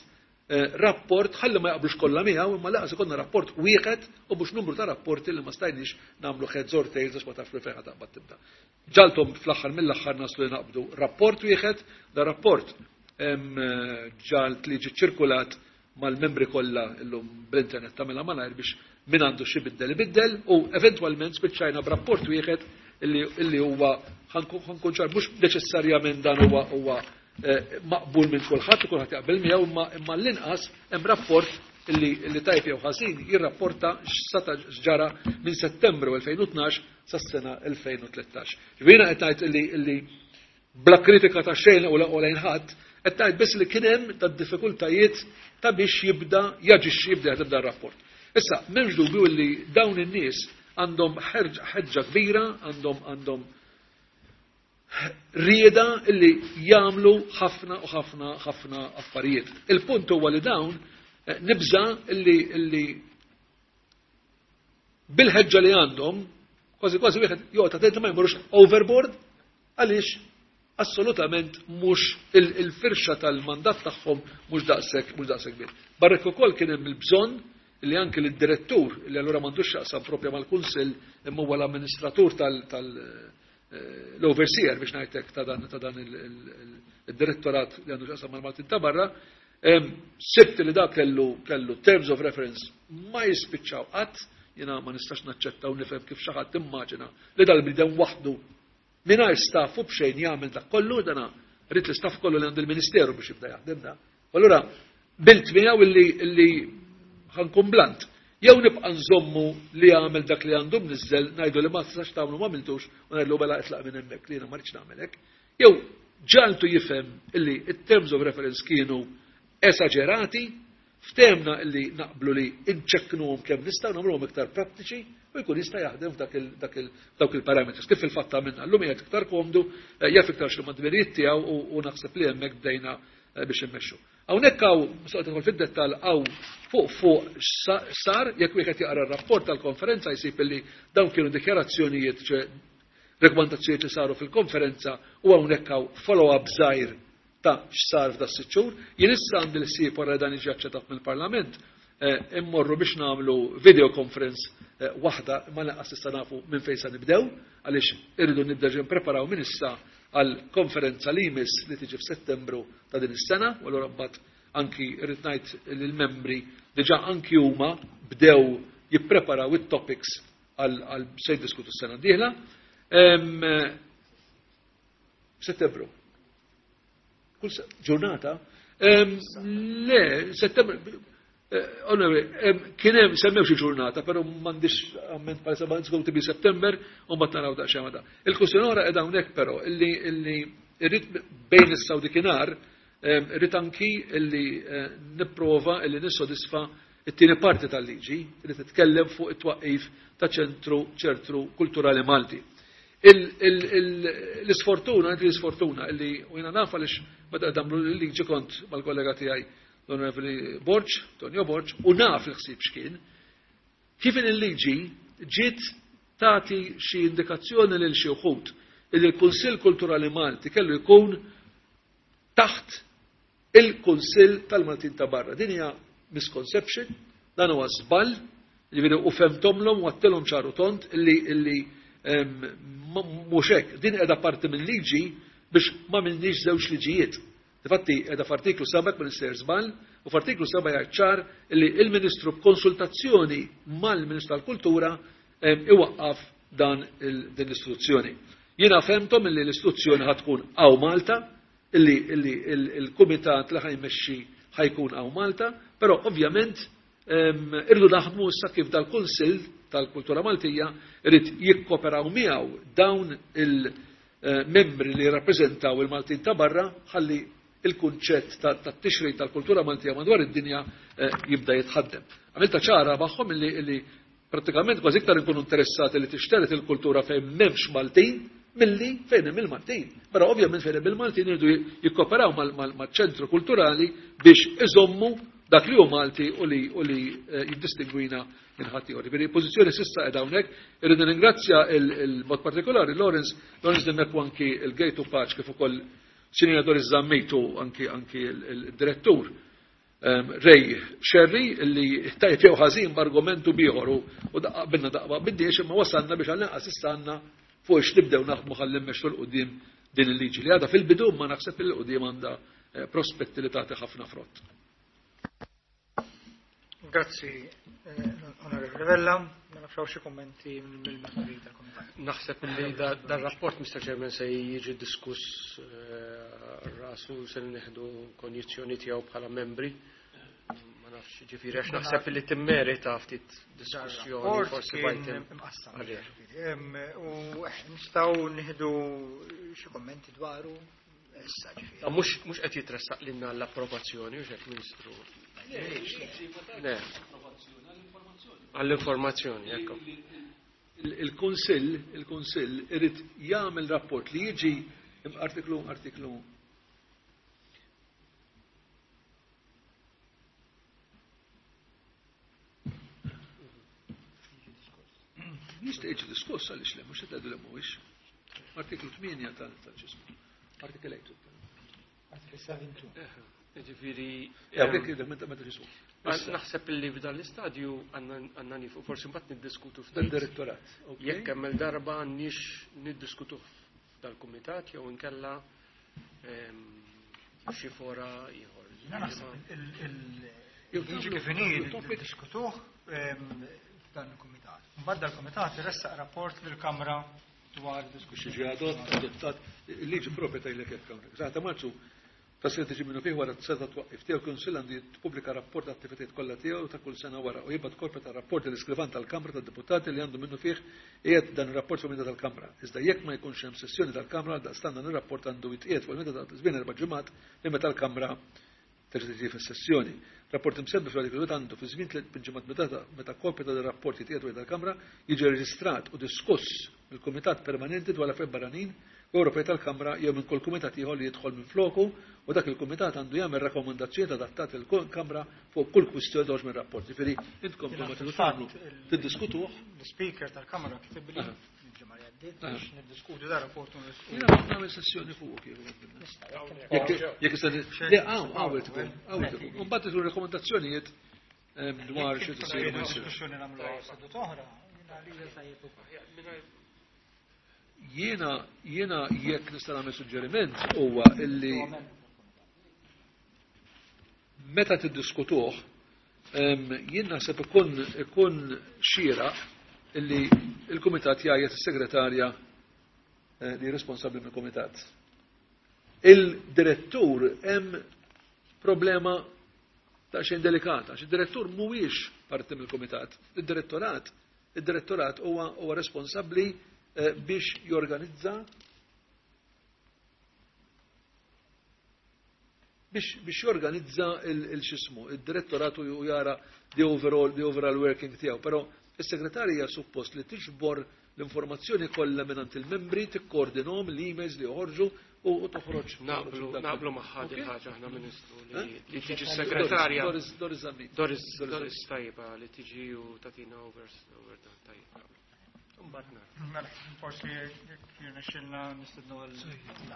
rapport, ħalli ma jaqblux kollha miegħu, imma laqas ikollna rapport wieħed u mhux numru ta' rapporti li ma stajniex nagħmlu heads or tails għax ma tafx fejn taqbad tibda. Ġaltom fl-aħħar mill-aħħar naslu li naqbdu rapport wieħed, da rapport ġalt li ġi ċirkulat mal-membri kollha illum bl-internet tagħmilha malajr biex min għandu xi biddel ibiddel, u eventwalment spiċċajna b'rapport wieħed illi huwa ħankun ċar mhux neċessarjament dan huwa maqbul minn kulħadd u kulħadd jaqbel miegħu, imma l-inqas hemm rapport illi tajb jew ħażin jirrapporta x'sata x'ġara minn Settembru 2012 sas-sena 2013. Ġifieri qed ngħid illi bla kritika ta' xejn u lejn ħadd, qed ngħid biss li kien hemm ta' diffikultajiet ta' biex jibda jaġixxi, jibda jaħdem dan rapport. Issa, m'hemmx dubju li dawn in-nies għandhom ħeġġa kbira, għandhom rieda illi jagħmlu ħafna u ħafna ħafna affarijiet. Il-punt huwa li dawn nibża illi bil-ħeġġa li għandhom kważi kważi wieħed joqgħod attent ma jmorrux overboard, għaliex assolutament mhux il-firxa tal-mandat tagħhom mhux daqshekk kbir. Barrek ukoll kien hemm il-bżonn li anke lid-direttur li allura m'għandux x'jaqsam propja mal-kunsill imma huwa l-amministratur l-overseer biex ngħidlek ta' dan il-direttorat li għandu x'jaqsam mal-Maltin ta' barra, sibt li dak kellu terms of reference ma jispiċċaw qatt, jiena ma nistax naċċetta u nifhem kif xi ħadd immaġina li dal-bniedem waħdu mingħajr staff u b'xejn jagħmel dak kollu, dana rrid l-istaff kollu li għandu l-Ministeru biex jibda jaħdem da. Allura bilt miegħu illi ħankun blant. Jew nibqa' nżommu li jagħmel dak li għandu mniżżel, ngħidu li ma tistax tagħmlu ma għamiltux u ngħidlu mela itlaq minn hemmhekk li jiena ma rridx nagħmel hekk. Jew ġaltu jifhem illi it-terms of reference kienu esaġerati, ftemna illi naqblu li nċekknuhom kemm nistgħu nagħmluhom iktar prattiċi u jkun jista' jaħdem f'dawk il-parameters. Kif fil-fatt għamilna llum qiegħed iktar komdu, jaf iktar x'huma d-dmirijiet tiegħu u naħseb li hemmhekk bdejna biex immexxu. Hawnhekk hawn, mistoqgħod tidħol fid-dettall, hawn fuq sar, jekk wieħed jaqra r-rapport tal-konferenza jsib illi dawn kienu dikjarazzjonijiet, ċe rekomandazzjonijiet li saru fil-konferenza, u hawnhekk hawn follow-up żgħir ta' x'sar f'da sitt xhur. Jien issa għandi l-ħsieb wara dan jiġi aċċettat mill-Parlament, immorru biex nagħmlu video conference waħda, ma lanqas issa nafu minn fejn se nibdew, għaliex irridu nibda ġi npreparaw minn issa għal konferenza li jmiss li tiġi f'Settembru ta' din is-sena, u allura mbagħad anki rrid ngħid lill-membri diġà anki huma bdew jippreparaw it-topics għal se jiddiskutu s-sena d-dieħla. Settembru. Kull ġurnata. Le, Settembru. Onorevoli, kien hemm semmew xi ġurnata, però m'għandix amment bħalissa, ma it's going to be September u mbagħad naraw daqsxejn ma da. Il-kwistjoni oħra qiegħda hawnhekk però illi irrid bejn issa u dikinhar, irrid anki illi nipprova illi nissodisfa it-tieni parti tal-liġi li titkellem fuq it-twaqqif ta' ċentru kulturali Malti. L-isfortuna, inti l-isfortuna illi u jiena naf għaliex meta damlu l-liġi kont mal-kollega tiegħi l-Onorevoli Borg, Tonio Borg, u naf il-ħsieb x'kien, kif il-liġi ġiet tagħti xi indikazzjoni lil xi wħud illi l-Kunsill Kulturali Malti kellu jkun taħt il-Kunsill tal-Maltin ta' barra. Din hija misconception, dan huwa żball, jiġifieri u femtomlhom u għattilhom ċaru tont illi mhux hekk. Din qiegħda parti minn liġi biex ma minniex żewġ liġijiet. Difatti qiegħda f'artiklu 7 ma nistgħer żball, u f'artiklu 7 jgħid ċar illi il-Ministru b'konsultazzjoni mal-Ministru tal-Kultura iwaqqaf din l-istituzzjoni. Jiena femtom illi l-istituzzjoni ħad tkun hawn Malta, illi il-kumitat li ħajmexxi ħajkun hawn Malta, però ovvjament irridu naħdmu issa kif dal-Kunsill tal-Kultura Maltija irid jikkoperaw miegħu dawn il-membri li jirrappreżentaw il-Maltin ta' barra ħalli il-kunċett ta' tixrid tal-kultura Maltija madwar id-dinja jibda jitħaddem. Għamilta ċara magħhom illi pratikament kważi iktar inkunu interessati li tixteret il-kultura fejn m'hemmx Maltin milli fejn hemm il-Maltin. Però ovvjament fejn hemm il-Maltin iridu jikkoperaw maċ-ċentru kulturali biex iżommu dak li hu Malti u li jiddistingwina minn ħadd ieħor. Ġifieri pożizzjoni s'issa qiegħda hawnhekk, irridu ningrazzja il-mod partikolari Lawrence, Lawrence Dimech u anki il-Gate Paċ kif ukoll Sinjura Doris Zammit u anki anki il-direttur Ray Scerri li tajjeb jew ħażin b'argumentu bieħor u daqqa qbilna daqqa ma qbilniex imma wasalna biex għall-inqas issa għandna fuq ix nibdew naħdmu ħalli mmexxu 'l quddiem din il-liġi li għadha fil-bidu imma naħseb li 'l quddiem għandha prospetti li tagħti ħafna frott. Grazzi, Onorevoli Vella. Ma nafx hawn xi kummenti mill-membri tal-Kumitat. Naħseb li dar-rapport, Mr. Chairman, se jiġi diskuss rasu se nieħdu konjizzjoni tiegħu bħala membri. Ma nafx ġifieri għax naħseb li timmerita ftit diskussjoni forsi bajtem. U nistgħu nieħdu xi kummenti dwaru. Issa ġifieri. Mhux qed jitressaq lilna l-approvazzjoni, u xek Ministru. Le. Għall-informazzjoni, ekku. Il-Kunsill, il-Kunsill irid jagħmel rapport li jiġi artiklu artiklu Jista' jiġi diskuss għaliex le, mhux qed tgħidu li mhuwiex. Artiklu 8 tal-ġismu. Artiklu 8. Artiklu 7. Ġifieri. Meta ġismu. Naħseb li f'dan l-istadju għandna nifu, forsi mbagħad niddiskutu ftit. Direttorat. Jekk hemm il-darba għandniex niddiskutu f'dal-kumitat jew inkella xi fora ieħor. Naħseb il-liġi kif inhi niddiskutuh f'dan il-kumitat. Mbagħad dal-kumitat iressaq rapport lill-Kamra dwar diskussjoni. Jiġi adottat il-liġi propja tgħidlek hekk hawnhekk. Sa ta' Marzu ta' sena tiġi minnu fih wara t-seta twaqqif tiegħu il-Kunsill għandu jippubblika rapport ta' attivitajiet kollha tiegħu ta' kull sena wara u jibgħat kopja tar-rapport lill-iskrivan tal-Kamra tad-Deputati li għandu minnu fih qiegħed dan ir-rapport fuq il-mejda tal-Kamra. Iżda jekk ma jkunx hemm sessjoni tal-Kamra għaldaqstant dan ir-rapport għandu jitqiegħed fuq il-mejda ta' żmien erba' ġimgħat minn meta l-Kamra terġa' tiġi fis-sessjoni. Rapport imsemmi fl-artikolu wieħed għandu, fi żmien tliet ġimgħat minn meta kopja ta' dan ir-rapport jitqiegħed quddiem tal-Kamra, jiġi rreġistrat u diskuss mill-Kumitat Permanenti dwar l-Affarijiet Barranin u Ewropej tal-Kamra jew minn kull kumitat ieħor li jidħol minfloku u dak il-kumitat għandu jagħmel rakkomandazzjonijiet adattati lill-Kamra fuq kull kwistjoni toħroġ mir-rapport. Jiġifieri intkom kull ma tridu tagħmlu tiddiskutuh. L-Ispeaker tal-Kamra kitibli il-ġimgħa li għaddiet biex niddiskutu dar rapport u Jiena nagħmel sessjoni fuq kif. Jekk issa le hawn hawn irid ikun, hawn irid ikun. Imbagħad isiru rakkomandazzjonijiet dwar xi tisir ma jsirx. Diskussjoni nagħmluha seduta oħra, jiena għalija tajjeb ukoll. Jiena jiena jekk nista' nagħmel suġġeriment huwa illi meta tiddiskutuh jien naħseb ikun ikun xieraq illi il-kumitat jgħajjat is-segretarja eh, li responsabbli mill-kumitat. Il-direttur hemm problema ta' xejn delikata, għax id-direttur mhuwiex parti mill-kumitat. Id-direttorat id-direttorat huwa huwa responsabbli eh, biex jorganizza biex biex jorganizza il-xismu, id-direttorat u jara the overall, the overall working tiegħu. Però is-segretarja suppost li tiġbor l-informazzjoni kollha mingħand il-membri, tikkoordinhom l-emails li joħorġu u toħroġ. Naqblu naqblu magħha din ħaġa aħna Ministru li tiġi s-segretarja. Doris Doris Zammit. Doris Doris tajba li tiġi u tagħtina over over dan tajjeb naqblu. Imbagħad nara. Mela, forsi jekk jirnexxilna nistednu għal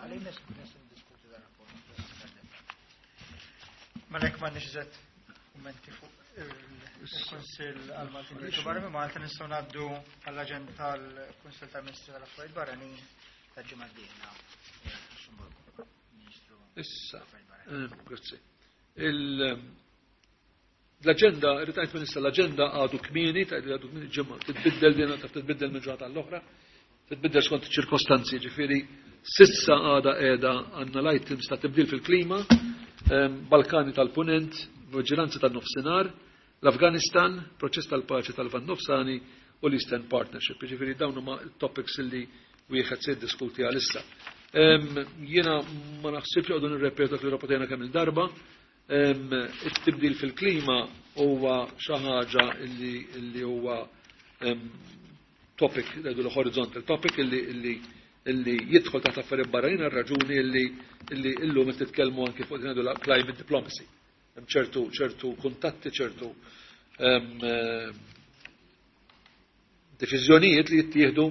għalina niddiskutu dan rapport. Mela jekk m'għandniex iżgħet kummenti fuq il-Kunsill għal-Maltin li barra minn Malta nistgħu ngħaddu għall-aġenda tal-Kunsill tal-Ministri tal-Affarijiet Barranin tal-ġimgħa d-dieħla. Lussemburgu. Ministru Issa, tal-Affarijiet Barranin. grazzi. L-aġenda, irrid ngħid minn issa l-aġenda għadu kmieni, tgħid li għadu kmieni ġimgħa, titbiddel din taf titbiddel minn ġurnata għall-oħra, titbiddel skont iċ-ċirkostanzi, ġifieri sissa għada qiegħda għandna l-items ta' tibdil fil-klima, Balkani tal-Punent, Viġilanza tan-Nofsinhar, l-Afganistan, proċess tal-paċi tal-Lvant Nofsani u l-Eastern Partnership. Ġifieri dawn huma topics li wieħed se jiddiskuti għalissa. Jiena ma naħsibx għodu nirrepetu dak li rapportajna kemm il-darba. It-tibdil fil-klima huwa xi ħaġa illi huwa topic, ngħidu horizontal topic illi jidħol taħt affarijiet barranin għal raġuni illi illum qed titkellmu anke fuq ngħidu climate diplomacy. Hemm ċertu kuntatti, ċertu deċiżjonijiet li jittieħdu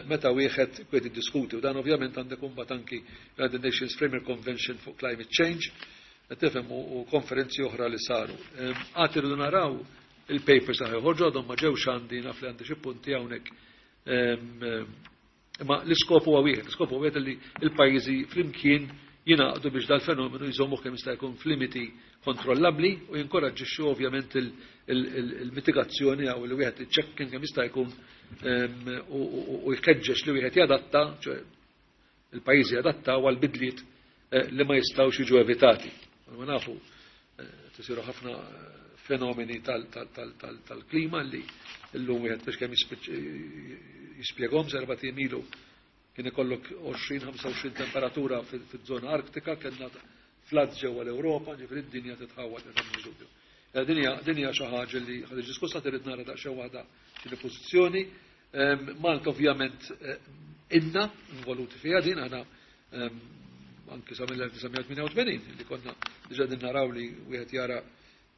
meta wieħed kwiet jiddiskuti. U dan ovvjament għandek imbagħad anki United Nations Framework Convention fuq Climate Change, tifhem, u konferenzi oħra li saru. Għad irridu naraw il-papers ta' ħorġu, għadhom ma ġewx għandi, naf li għandi xi punti hawnhekk. Imma l-iskop huwa wieħed, l-iskop huwa wieħed li l-pajjiżi flimkien jingħaqdu biex dal-fenomenu jżommu kemm jista' jkun f'limiti kontrollabbli u jinkoraġġixxu ovvjament il-mitigazzjoni jew li wieħed iċċekken kemm jista' jkun u jħeġġeġ li wieħed jadatta, ċoè il-pajjiżi jadattaw għal bidliet li ma jistgħux jiġu evitati. Ma nafu tisiru ħafna fenomeni tal-klima li llum wieħed biex kemm jispjegahom. 4 ilu kien ikollok 20-25 temperatura fiż-żona Arktika, kellna floods ġewwa l-Ewropa, ġifieri d-dinja titħawwad dubju. Dinja xi ħaġa li ħa tiġi diskussa, trid nara daqsxejn waħda x'inhi pożizzjoni. Malta ovvjament inna involuti fiha din, aħna anki sa mill-1988 li konna diġà din naraw li wieħed jara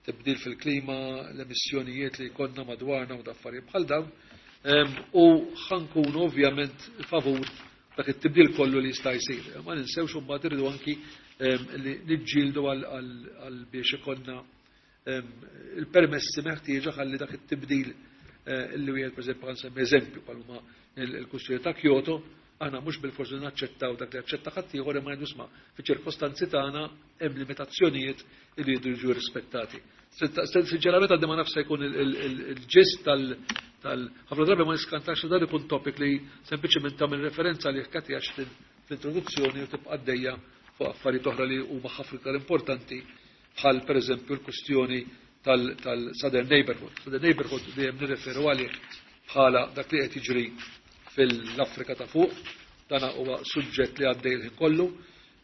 tibdil fil-klima, l-emissjonijiet li konna madwarna u affarijiet bħal dawn. U ħa nkunu ovvjament favur dak it-tibdil kollu li jista' jsir. Ma ninsewx imbagħad irridu anki li niġġieldu għal biex ikollna il-permessi meħtieġa ħalli dak it-tibdil li wieħed, pereżempju, ħa nsemmi eżempju bħal huma il-kwistjoni ta' Kyoto, aħna mhux bil-forsi naċċettaw dak li aċċetta ħaddieħor, imma ngħidu, isma', fiċ-ċirkostanzi tagħna hemm limitazzjonijiet li jridu jiġu rispettati. Sinċerament għaddi ma nafx se jkun il-ġist tal ħafna drabi ma niskantax li dan ikun topic li sempliċement tagħmel referenza li Cathy Ashton fl-introduzzjoni u tibqa' għaddejja fuq affarijiet oħra li huma ħafna iktar importanti, bħal pereżempju l-kwistjoni tal-Southern Neighborhood. Southern Neighborhood dejjem nirreferu għalih bħala dak li qed jiġri fil-Afrika ta' fuq, dana huwa suġġett li għaddej il-ħin kollu.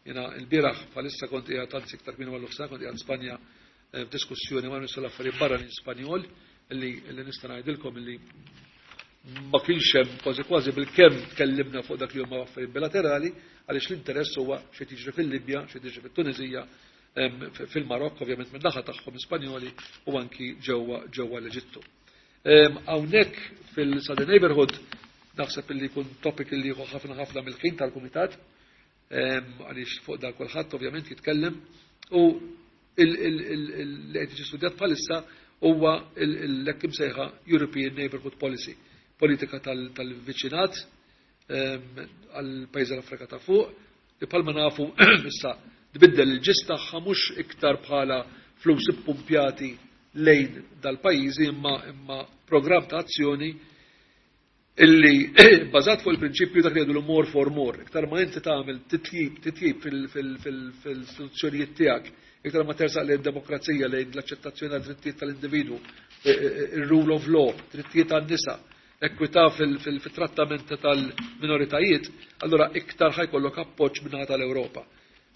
Jiena l-bieraħ bħalissa kont qiegħed, anzi iktar minn għallu kont qiegħed Spanja f'diskussjoni ma' Ministru l-Affarijiet Barranin Spanjol li nista' ngħidilkom li ma kienx hemm, kważi kważi bil-kemm tkellimna fuq dak li huma affarijiet bilaterali, għaliex l-interess huwa xi tiġri fil-Libja, xi tiġri fit-Tuniżija, fil-Marokk, ovvjament minn naħa tagħhom Spanjoli, u anki ġewwa l-Eġittu. Hawnhekk fil-Southern Neighborhood naħseb li jkun topic li jieħu ħafna ħafna mill-ħin tal-kumitat, għaliex fuq dal kulħadd ovvjament jitkellem, u li qed jiġi studjat bħalissa huwa l-hekk imsejħa European Neighborhood Policy, politika tal-viċinat għal pajjiż l-Afrika ta' fuq, li bħalma nafu issa tbiddel il-ġist tagħha, mhux iktar bħala flus ippumpjati lejn dal-pajjiżi, imma programm ta' azzjoni illi bażat fuq il-prinċipju dak li jgħidu more for more. Iktar ma inti tagħmel titjib fil-istituzzjonijiet tiegħek, iktar ma tersaq lejn demokrazija, lejn l-aċċettazzjoni tad drittijiet tal-individwu, il-rule of law, drittijiet tan-nisa, ekwità fil-trattament tal-minoritajiet, allora iktar ħa jkollok appoġġ minnaħa tal-Ewropa.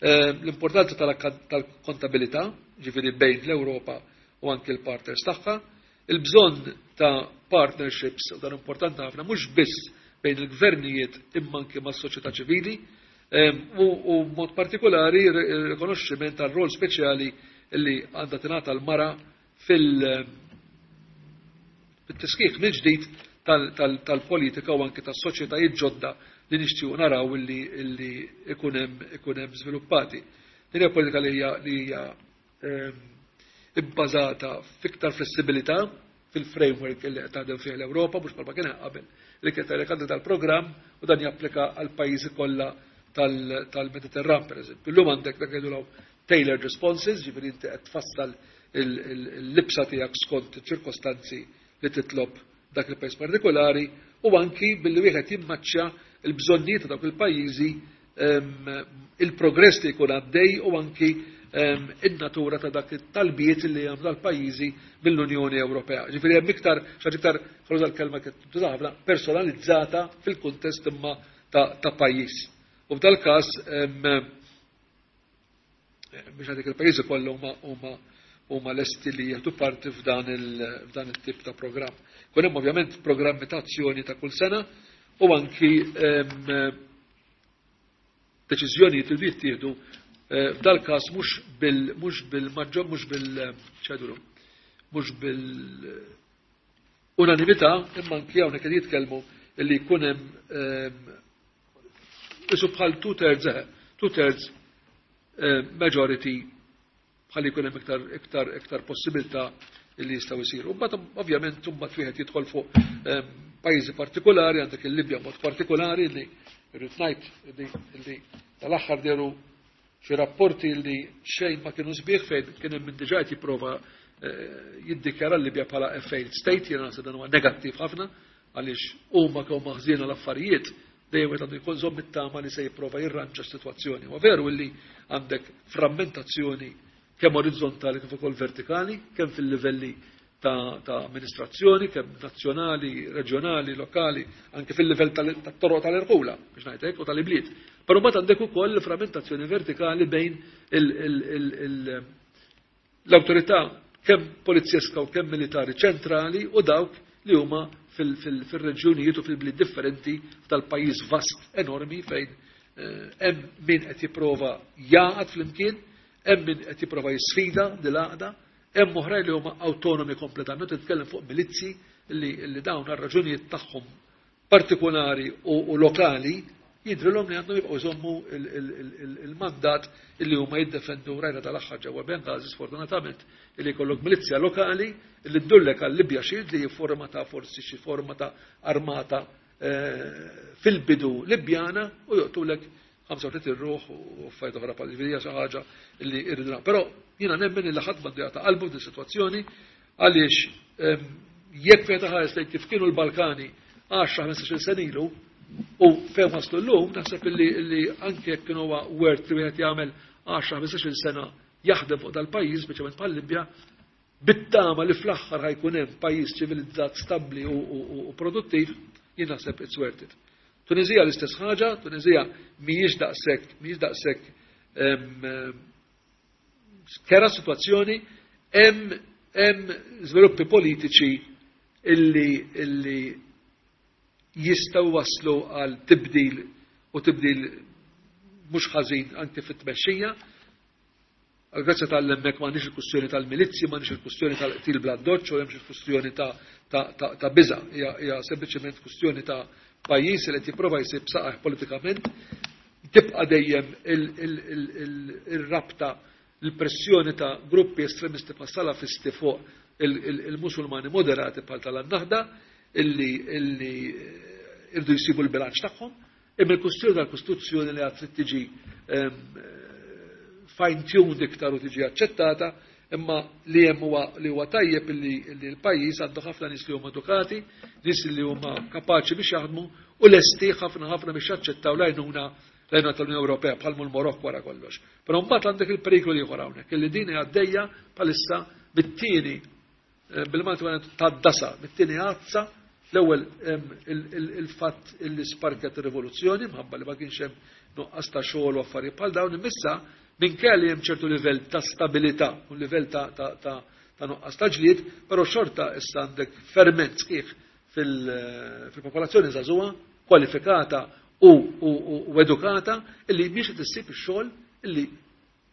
L-importanza tal-kontabilità, ġifieri bejn l-Ewropa u anki l-partners tagħha, il-bżonn ta' partnerships, u dan importanti ħafna, mhux biss bejn il-gvernijiet imma anki mas-soċjetà ċivili, u mod partikolari rikonoxximent tal-rol speċjali li għandha tingħata l-mara fil-tisħiħ mill-ġdid tal-politika u anki tas-soċjetajiet ġodda li nixtiequ naraw illi ikun hemm żviluppati. Din hija politika li hija ibbażata fiktar flessibilità fil-framework li qed taħdem fih l-Ewropa, mhux bħalma kien qabel li kien tgħidlek tal-programm u dan japplika għal pajjiżi kollha tal-Mediterran, pereżempju. Illum għandek dak jgħidu tailored responses, ġifieri inti qed tfassal il-libsa tiegħek skont ċirkostanzi li titlob dak il-pajjiż partikolari, u anki billi wieħed jimmaċċja il-bżonnijiet ta' dawk il-pajjiżi, il-progress li jkun għaddej u anki in-natura ta' dak it-talbiet li hemm dal-pajjiżi mill-Unjoni Ewropea. Ġifieri hemm iktar xi iktar, ħa l-kelma ħafna, personalizzata fil-kuntest imma ta' pajjiż. U f'dal każ biex għadik il-pajjiżi kollha huma lesti li jieħdu parti f'dan il-tip ta' programm. Kun hemm ovvjament programmi ta' azzjoni ta' kull sena u anki deċiżjonijiet li jittieħdu f'dal każ mhux bil mhux bil ċedulu, mhux bil unanimità, imma anki hawnhekk qed jitkellmu li jkun hemm isu bħal two thirds majority bħal jkun hemm iktar iktar iktar possibilità li jistgħu jsiru. Mbagħad ovvjament mbagħad wieħed jidħol fuq pajjiżi partikolari, għandek il-Libja mod partikolari li rrid ngħid li tal-aħħar dehru xi rapporti li xejn ma kienu sbieħ, fejn kien hemm min diġà qed jipprova jiddikjara l-Libja bħala a failed state. Jiena naħseb dan huwa negattiv ħafna, għaliex huma kemm maħżiena l-affarijiet, dejjem qed għandu jkun żomm it-tama li se jipprova jirranġa s-sitwazzjoni. Ma veru li għandek frammentazzjoni kemm orizzontali kif ukoll vertikali, kemm fil-livelli ta' amministrazzjoni, kemm nazzjonali, reġjonali, lokali, anke fil-livell tat-toroq tal-irħula, biex ngħidlek, u tal-ibliet. Però mbagħad għandek ukoll frammentazzjoni vertikali bejn l-awtorità kemm polizjeska u kemm militari ċentrali u dawk li huma fil-reġjunijiet u fil-bliet differenti tal-pajjiż vast enormi, fejn hemm min qed jipprova jaqgħad flimkien, hemm min qed jipprova jisfida dil-għaqda, hemm oħrajn li huma autonomi kompletament. Titkellem fuq milizzi li dawn għar-raġunijiet tagħhom partikolari u lokali jidrilhom li għandhom jibqgħu jżommu il-mandat illi huma jiddefendu. Rajna tal-aħħar ġewwa Benghazi, sfortunatament, illi jkollok milizja lokali illi ddullek għal Libya Shield, li forma ta' forsi xi forma ta' armata fil-bidu Libjana, u joqtulek 35 ruħ u affarijiet oħra bħal ġifieri xi ħaġa li irridu. Però jiena nemmen illi ħadd m'għandu jagħta qalbu din sitwazzjoni, għaliex jekk fejn taħares lejn kif kienu l-Balkani 10-15 sena ilu u fejn waslu llum, naħseb illi anke jekk kienu huwa worth li wieħed jagħmel 10-15 sena jaħdem fuq dal-pajjiż, speċjalment bħal-Libja, bit-tama li fl-aħħar ħa jkun hemm pajjiż ċivilizzat, stabbli u produttiv, jien naħseb it's worth it. Tunizija l-istess ħaġa. Tunizija mhijiex daqshekk kerha situazzjoni, hemm żviluppi politiċi illi jistgħu waslu għal tibdil, u tibdil mhux ħażin anke fit-tmexxija. Grazzi tal-hemmhekk m'għandix il-kustjoni tal-milizzi, m'għandix il-kustjoni tal-qtil bla doċ, u hemmx il-kustjoni ta' biża. Hija sempliċement kustjoni ta' pajjiż li qed jipprova jsib saqajh politikament. Tibqa' dejjem il-rabta, il-pressjoni ta' gruppi estremisti pa' salafisti fuq il-Musulmani moderati bħal tal-Naħda illi irdu jsibu l-bilanċ tagħhom. Imma il-kustjoni tal-Kostituzzjoni li għad trid tiġi fine-tuned iktar u tiġi aċċettata, imma li hemm huwa li huwa tajjeb illi l-pajjiż għandu ħafna nies li huma edukati, nies li huma kapaċi biex jaħdmu u lesti ħafna ħafna biex jaċċettaw l-għajnuna tal-Unjoni Ewropea, bħal l-Marokk wara kollox. Però mbagħad għandek il-periklu ieħor hawnhekk, illi din għaddejja bħalissa bit-tieni, bil-Malti tad-dasa, bit-tieni għazza. L-ewwel il-fatt illi sparkat ir-rivoluzzjoni mħabba li ma kienx hemm nuqqas ta' xogħol u affarijiet bħal dawn, imissa minkejja li hemm ċertu livell ta' stabilità u livell ta' nuqqas ta' ġlied, però xorta issa għandek ferment sħiħ fil-popolazzjoni żagħżugħa kwalifikata u edukata illi mhix qed issib ix-xogħol illi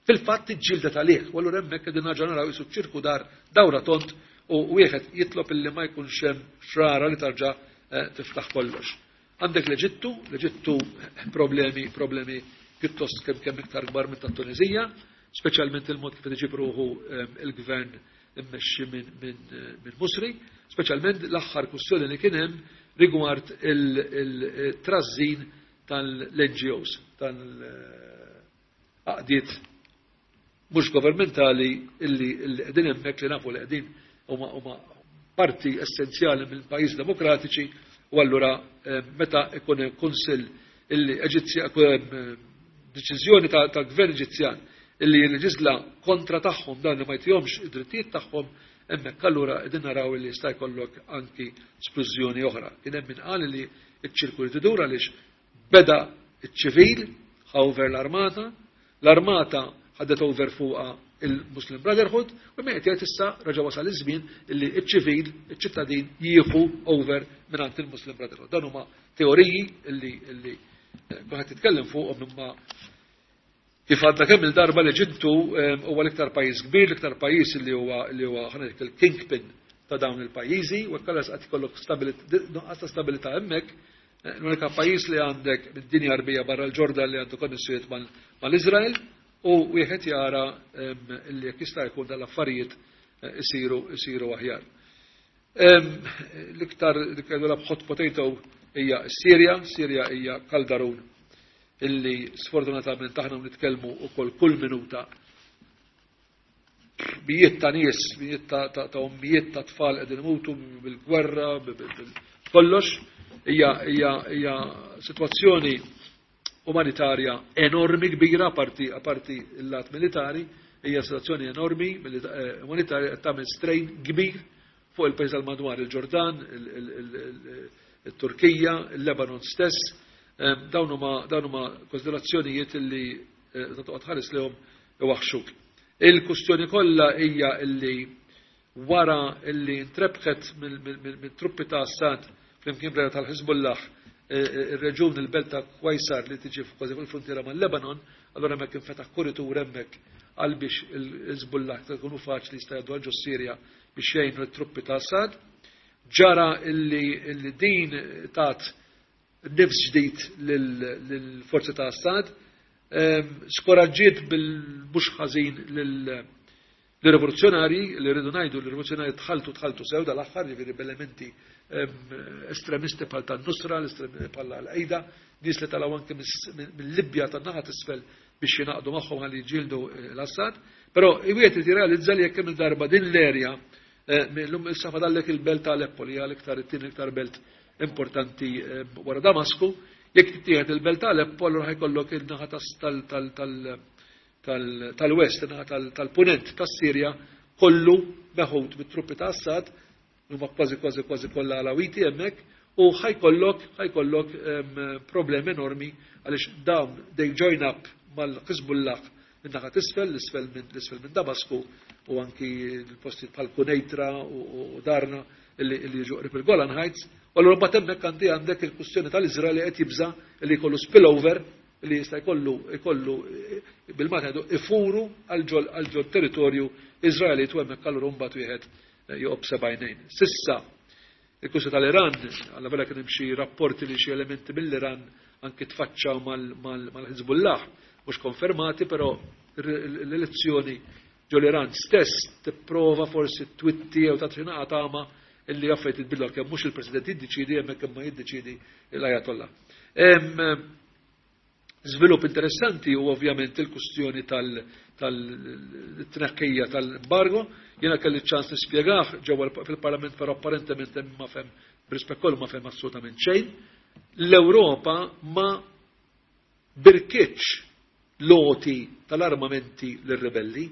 fil-fatt iġġieldet għalih. U allura hemmhekk qegħdin nerġa' naraw isu ċirku dar dawra tond, u wieħed jitlob illi ma jkunx hemm xrara li tarġa' tiftaħ kollox. Għandek l-Eġittu, l-Eġittu problemi pjuttost kemm kemm iktar kbar minn tat-Tunizija, speċjalment il-mod kif iġib ruħu il-gvern immexxi minn Musri, speċjalment l-aħħar kwistjoni li kien hemm rigward il-trażżin tal-NGOs, tal-għaqdiet mhux governmentali illi qegħdin hemmhekk, li nafu li qegħdin huma parti essenzjali mill pajjiż demokratiċi. U allura meta ikun kunsill illi Eġizzja, deċiżjoni tal-gvern Eġizzjan illi jilleġisla kontra tagħhom, dan li ma jtihomx id-drittijiet tagħhom, hemmhekk allura qegħdin naraw li jista' jkollok anki splużjoni oħra. Kien hemm min qal li ċ-ċirku li tidur, għaliex beda iċ-ċivil ħa over l-armata, l-armata ħadet over fuqha il-Muslim Brotherhood, u min qed jgħid issa reġa' wasal iż-żmien illi iċ-ċivil, iċ-ċittadin jieħu over mingħand il-Muslim Brotherhood. Dan huma teoriji illi kulħadd jitkellem fuqhom, imma kif għadna kemm il-darba, l-Eġittu huwa l-iktar pajjiż kbir, l-iktar pajjiż li huwa ħa ngħid il-kingpin. ta' dawn il-pajjiżi, u hekk allura qed ikollok nuqqas ta' stabilità hemmhekk. L-unika pajjiż li għandek mid-dinja Għarbija barra l-Ġordan li għandu konnessjonijiet mal-Iżrael, u wieħed jara li jekk jista' jkun dal-affarijiet isiru aħjar. L-iktar li kellha hot potato hija s-Sirja. Sirja hija kaldarun illi sfortunatament aħna nitkellmu ukoll kull minuta mijiet ta' nies, mijiet ta' ommijiet ta' tfal qegħdin imutu bil-gwerra, kollox. Hija sitwazzjoni umanitarja enormi kbira, aparti il-lat militari, hija sitwazzjoni enormi umanitarja qed tagħmel strain kbir fuq il-pajjiż tal-madwar, il-Ġordan, il-Turkija, il-Lebanon stess. Dawn huma konsiderazzjonijiet illi toqgħod ħares lehom iwaħxuk. Il-kustjoni kollha hija illi wara illi ntrebħet mill-truppi ta' Assad flimkien brera tal-Hizbullah ir-reġun il-belt ta' Kwajsar li tiġi kważi fuq il-frontiera mal-Lebanon, allura hemmhekk infetaħ kuritur hemmhekk għal biex il-Hizbullah tkunu faċli jista' jgħaddu għal ġo Sirja biex jgħinu l-truppi ta' Assad. Ġara illi din tat nifs ġdid lill-forzi ta' Assad, skoraġġiet bil-mhux ħażin lill-rivoluzzjonarji, li rridu ngħidu l-rivoluzzjonarji tħaltu sew dal-aħħar, jiġifieri b'elementi estremisti bħal tan-Nusra, bħal Al-Qaida, nies li talgħu anke mill-Libja tan-naħa t'isfel biex jingħaqdu magħhom ħalli jġieldu l-Assad. Però wieħed irid jirrealizza li jekk hemm darba din l-erja millum issa fadallek il-belt ta' Aleppo li hija l-iktar it-tieni iktar belt importanti wara Damasku, jekk tittieħed il-belt ta' Aleppo allura ħajkollok in-naħa tal-West, in-naħa tal-Punent tas-Sirja kollu meħud mit-truppi ta' Assad, huma kważi kważi kważi kollha Alawiti hemmhekk, u ħajkollok problemi enormi għaliex dawn they join up mal-Hizbullah min-naħa t'isfel, l-isfel minn Damasku u anki l-postijiet bħal Kunejtra u Darna illi jiġu qrib il-Golan Heights. U allura mbagħad hemmhekk għandek il-kwistjoni tal-Iżrael li qed jibża' li jkollu spillover li jista' jkollu bil-Malti ngħidu ifuru għal ġol territorju Iżraelit, u hemmhekk allura mbagħad wieħed joqgħod b'sebgħinejn. Sissa il-kwistjoni tal-Iran, alla vera kien hemm xi rapporti li xi elementi mill-Iran anki tfaċċaw mal-Hizbullah, mhux konfermati, però l-elezzjoni ġol-Iran stess tipprova forsi twitti jew tagħti xi tama illi affarijiet jitbidlu kemm mhux il-President jiddeċiedi hemmhekk kemm ma jiddeċiedi l-Ayatollah. Żvilupp interessanti u ovvjament il-kustjoni tal-tneħħija tal-embargo. Jiena kelli ċans nispjegah ġewwa fil-Parlament, però apparentement hemm ma fhem, b'rispett kollu ma fhem assolutament xejn. L-Ewropa ma birkitx loti tal-armamenti lir-ribelli.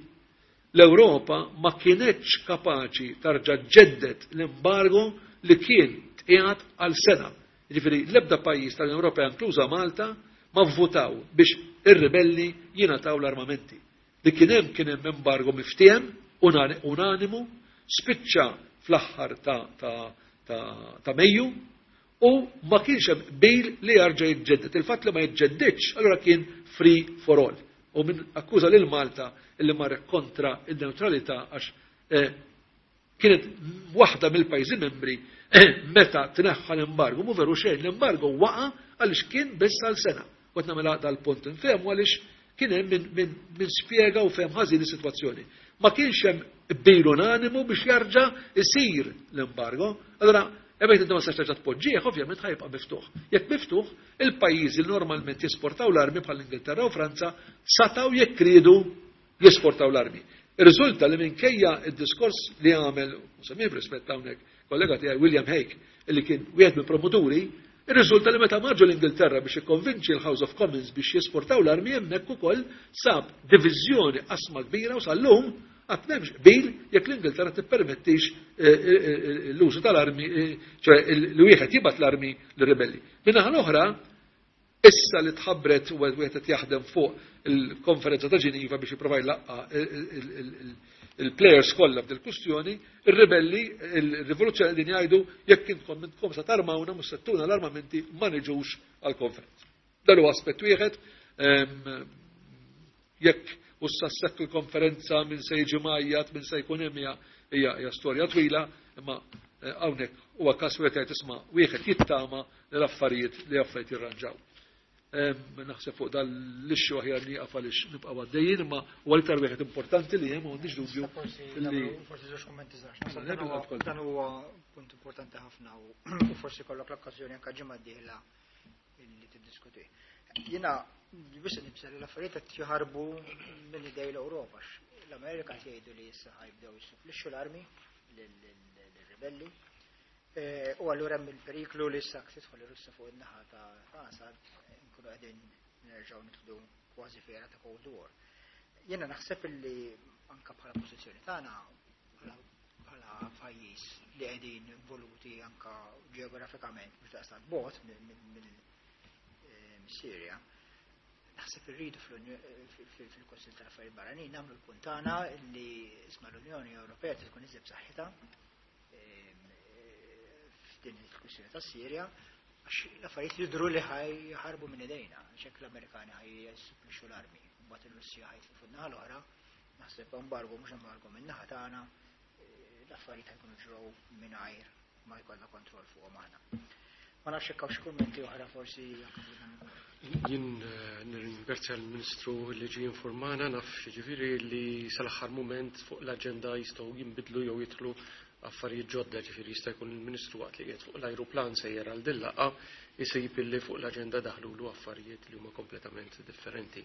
L-Ewropa ma kienetx kapaċi tarġa' ġeddet l-embargo li kien tqiegħed għal sena. Jiġifieri l-ebda pajjiż tal-Unjoni Ewropea inkluża Malta ma vvutaw biex ir-ribelli jingħataw l-armamenti. Li kien hemm kien hemm embargo miftiehem unanimu, spiċċa fl-aħħar ta' Mejju u ma kienx hemm qbil li jarġa' jiġġedded. Il-fatt li ma jiġġeddidx allura kien free for all. U min akkuża lil Malta illi marret kontra in-neutralità għax kienet waħda mill-pajjiżi membri meta tneħħa l-embargo, mhu veru xejn, l-embargo waqa' għaliex kien biss għal sena. U qed nagħmilha dal-punt infehmu għaliex kien hemm min spjega u fehem ħażin is-sitwazzjoni. Ma kienx hemm qbil unanimu biex jarġa' isir l-embargo. Allura, hemmhekk inti ma tistax terġa' tpoġġih, ovvjament ħajbqa' miftuħ. Jekk miftuħ, il-pajjiżi li normalment jesportaw l-armi bħal Ingilterra u Franza sataw jekk riedu jesportaw l-armi. Irriżulta li minkejja id-diskors li għamel, u semmih b'rispett hawnhekk, kollega tiegħi William Hague, illi kien wieħed mill-promoturi, irriżulta li meta marġu l-Ingilterra biex ikkonvinċi l-House of Commons biex jesportaw l-armi hemmhekk ukoll sab diviżjoni qasma kbira u sal-lum qatt m'hemmx qbil jekk l-Ingilterra tippermettix l-użu tal-armi, ċoè li wieħed jibgħat l-armi lir-ribelli. Min-naħa l-oħra, issa li tħabbret u wieħed qed jaħdem fuq il-konferenza ta' Ġiniva biex jipprova jlaqqa il-players kollha f'dil kwistjoni, ir-ribelli, il-rivoluzzjoni qegħdin jgħidu jekk intkom intkom sa tarmawna mhux se ttuna l-armamenti ma niġux għall-konferenza. Dan huwa aspett wieħed, jekk u s-sassekk il-konferenza minn se jiġi majjat, minn se jkun hemm hija storja twila. Imma hawnhekk huwa każ wieħed jgħid isma' wieħed jittama li l-affarijiet li affarijiet jirranġaw. Naħseb fuq dan l-issue aħjar nieqaf għaliex nibqgħu għaddejjin, imma huwa l-iktar wieħed importanti li hemm, m'għandix dubju. Forsi żewġ kummenti żgħar. Dan huwa punt importanti ħafna u forsi kollok l-okkażjoni anke ġimgħa d-dieħla li tiddiskuti. Jiena biss nibża li l-affarijiet qed jaħarbu minn idej l-Ewropa. L-Amerika jgħidu li issa ħajbdew jissupplixxu l-armi lill-ribelli. U allura hemm il-periklu li issa tidħol ir-Russja fuq in-naħa ta' Assad, nkunu qegħdin nerġgħu nidħlu kważi f'era ta' Cold War. Jiena naħseb li anka bħala pożizzjoni tagħna bħala pajjiż li qegħdin involuti anka ġeografikament mhux daqstant bogħod mill-Sirja, naħseb irridu fil-Kunsill tal-Affarijiet Barranin nagħmlu l-punt tagħna li isma' l-Unjoni Ewropea tkun iżjed b'saħħitha f'din il-kwistjoni tas-Sirja, għax l-affarijiet jidhru li ħajħarbu minn idejna, xek l-Amerikani ħaj jissupplixxu l-armi, mbagħad il-Russja ħajtlu fuq naħa l-oħra, naħseb embargo mhux embargo minn naħa tagħna, l-affarijiet ħajkunu ġraw mingħajr ma jkollna kontroll fuqhom aħna. Ma nafx hekk hawnx kummenti oħra forsi. Jien nirringrazzja l-Ministru li ġie informana, naf ġifieri li sal-aħħar mument fuq l-aġenda jistgħu jinbidlu jew jidħlu affarijiet ġodda, ġifieri jista' jkun il-Ministru waqt li qiegħed fuq l-ajruplan sejjer għal din laqgħa jsib illi fuq l-aġenda daħlulu affarijiet li huma kompletament differenti.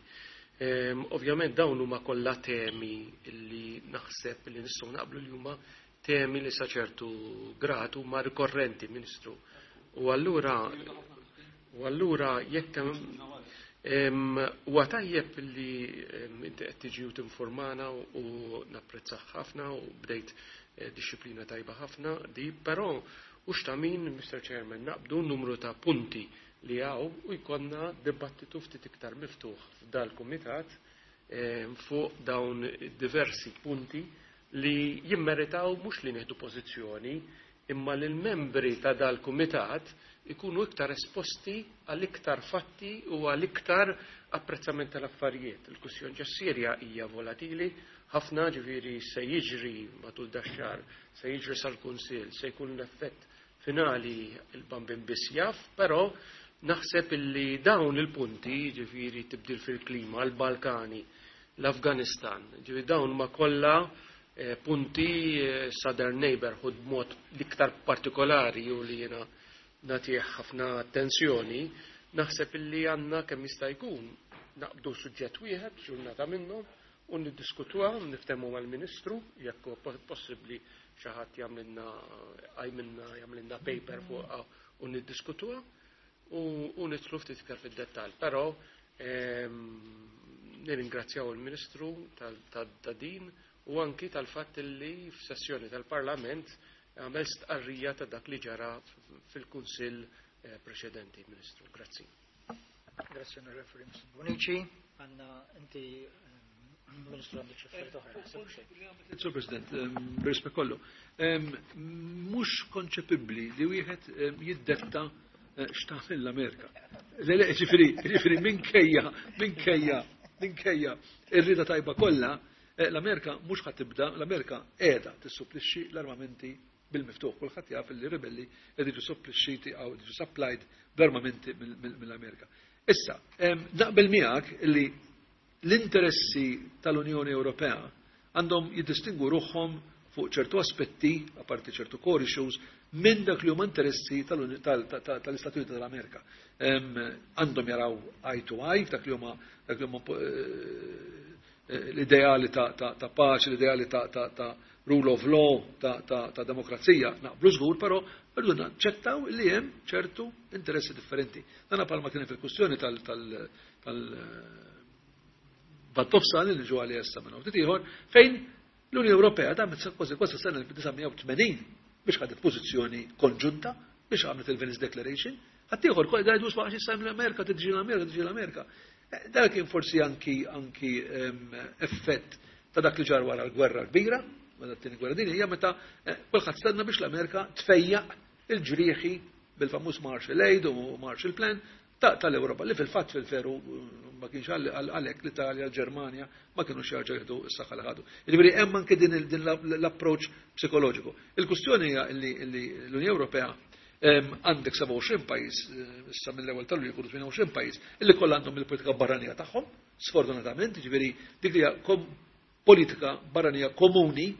Ovvjament dawn huma kollha temi li naħseb li nistgħu naqblu li huma temi li sa ċertu grad huma rikorrenti, Ministru. U allura jekk huwa tajjeb li inti qed tiġi u tinformana u napprezzah ħafna u bdejt disċiplina tajba ħafna di, però hux ta' min, Mr. Chairman, naqbdu numru ta' punti li hawn u jkollna dibattitu ftit iktar miftuħ f'dal-kumitat fuq dawn diversi punti li jimmeritaw mhux li nieħdu pożizzjoni, imma li l-membri ta' dal-kumitat ikunu iktar esposti għal iktar fatti u għal iktar apprezzament tal-affarijiet. Il-kwistjoni ġas-Sirja hija volatili ħafna, ġifieri se jiġri matul dax-xahar, se jiġri sal-Kunsill, se jkun l-effett finali il-Bambin biss jaf, però naħseb illi dawn il-punti, ġifieri tibdil fil-klima, l-Balkani, l-Afganistan, ġifieri dawn ma kollha punti Southern Neighborhood b'mod l-iktar partikolari u li jiena nagħtih ħafna attenzjoni, naħseb illi għandna kemm jista' jkun naqbdu suġġett wieħed ġurnata minnhom u niddiskutuha, niftehmu mal-Ministru jekk huwa possibbli xi ħadd jagħmlilna għajminna jagħmlilna paper fuqha u niddiskutuha u nidħlu ftit iktar fid-dettall. Però nirringrazzjaw il-Ministru ta' din u anki tal-fatt li f'sessjoni tal-Parlament għamel stqarrija ta' dak li ġara fil-Kunsill preċedenti, Ministru. Grazzi. Grazzi, Onorevoli Bonnici. Għanna inti, Ministru, għandek xi affarijiet oħra, naħseb xejn. Sur President, b'rispett kollu, mhux konċepibbli li wieħed jiddetta x'tagħmel l-Amerika. Le, le, ġifieri minkejja ir-rida tajba kollha, l-Amerika mhux ħa tibda, l-Amerika qiegħda tissupplixxi l-armamenti bil-miftuħ. Kulħadd jaf li ribelli qed jiġu supplixxiti jew jiġu supplied bl-armamenti mill-Amerika. Issa, naqbel miegħek li l-interessi tal-Unjoni Ewropea għandhom jiddistingu ruħhom fuq ċertu aspetti, apparti ċertu core issues, minn dak li huma interessi tal-Istati Uniti tal-Amerika. Għandhom jaraw eye to eye f'dak li huma dak li huma l-ideali ta' paċi, l-ideali ta' rule of law, ta' demokrazija, naqblu żgur, però rridu naċċettaw li hemm ċertu interessi differenti. Dan palma kien fil-kwistjoni tal Lvant Nofsani li ġu għalli issa minn ftit ieħor, fejn l-Unjoni Ewropea da kważi kważi sena 1980 biex ħadet pożizzjoni konġunta biex għamlet il-Venice Declaration. Ħaddieħor kol jgħidu sma' għax issa l-Amerika tiġi l-Amerika, tiġi l-Amerika. Dak kien forsi anki effett ta' dak li ġar wara l-gwerra kbira, wara t-tieni gwerra dinjija, meta kulħadd stenna biex l-Amerika tfejjaq il-ġrieħi bil-famuż Marshall Aid u Marshall Plan tal-Ewropa, li fil-fatt fil-veru ma kienx għalhekk l-Italja, l-Ġermanja ma kinux jerġgħu jieħdu s-saħħa li ħadu. Jiġifieri hemm anke din l-approċċ psikoloġiku. Il-kwistjoni hija li l-Unjoni Ewropea għandek 27 pajjiż, issa mill-ewwel tal-Lulju jkunu 28 pajjiż, illi kollha għandhom il-politika barranija tagħhom, sfortunatament, jiġifieri dik li hija politika barranija komuni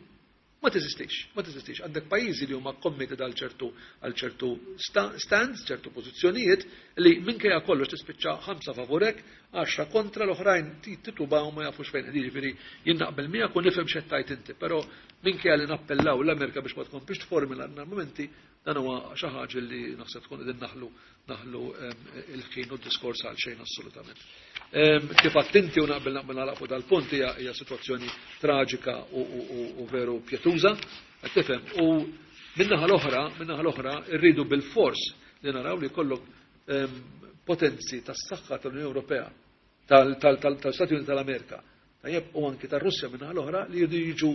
ma teżistix, ma teżistix. Għandek pajjiżi li huma committed għal ċertu għal ċertu stands, ċertu pożizzjonijiet li minkejja kollox tispiċċa 5 favurek, 10 kontra, l-oħrajn titubaw ma jafux fejn qegħdin. Jiġifieri jien naqbel miegħek u nifhem x'qed tgħid inti, però minkejja li nappellaw l-Amerika biex ma tkomplix tformi l-armamenti, dan huwa xi ħaġa li naħseb tkun qegħdin naħlu il-ħin u d-diskors għal xejn assolutament. Kif għedt inti u naqbel naqbel nagħlaq fuq dal-punt, hija sitwazzjoni traġika u veru pjetuża, qed tifhem. U minnaħa l-oħra rridu bil-fors li naraw li jkollok potenzi tas-saħħa tal-Unjoni Ewropea, tal-Stati Uniti tal-Amerika, tajjeb, u anki tar-Russja minnaħa l-oħra, li jridu jiġu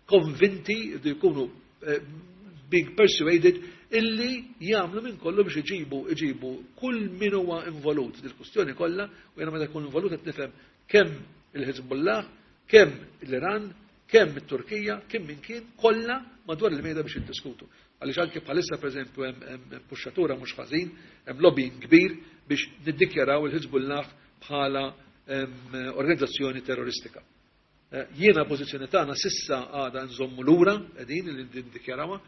konvinti, jridu jkunu being persuaded illi jagħmlu minn kollu biex iġibu kull min huwa involut dil-kustjoni kollha, u jiena meta jkun involut qed nifhem kemm il-Hezbollah, kemm l-Iran, kemm it-Turkija, kemm min kien, kollha madwar il-mejda biex jiddiskutu. Għaliex anke bħalissa pereżempju hemm puxxatura mhux ħażin, hemm lobbying kbir biex niddikjaraw il-Hezbollah bħala organizzazzjoni terroristika. Jiena pożizzjoni tagħna sissa għadha nżommu lura qegħdin li niddikjarawha.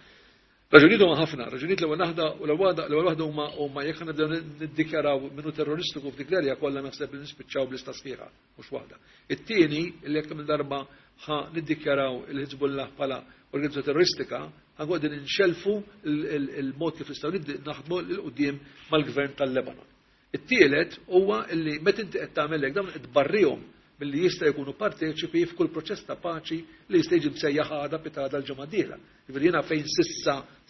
Raġunijiet huma ħafna, raġunijiet l-ewwel waħda u l-ewwel waħda huma jekk nibdew niddikjaraw minnu terroristiku f'dik l-erja kollha naħseb li nispiċċaw bl-ista sħiħa, mhux waħda. It-tieni li jekk minn darba ħa niddikjaraw il-Hezbollah bħala organizzazzjoni terroristika, ħa qegħdin inxelfu il-mod kif nistgħu naħdmu 'l quddiem mal-gvern tal-Lebanon. It-tielet huwa li meta inti qed tagħmel hekk dawn qed tbarrihom milli jista' jkunu parteċipi f'kull proċess ta' paċi li jista' jiġi msejjaħ għada pitgħada l-ġimgħa d-dieħla. Jiġifieri jiena fejn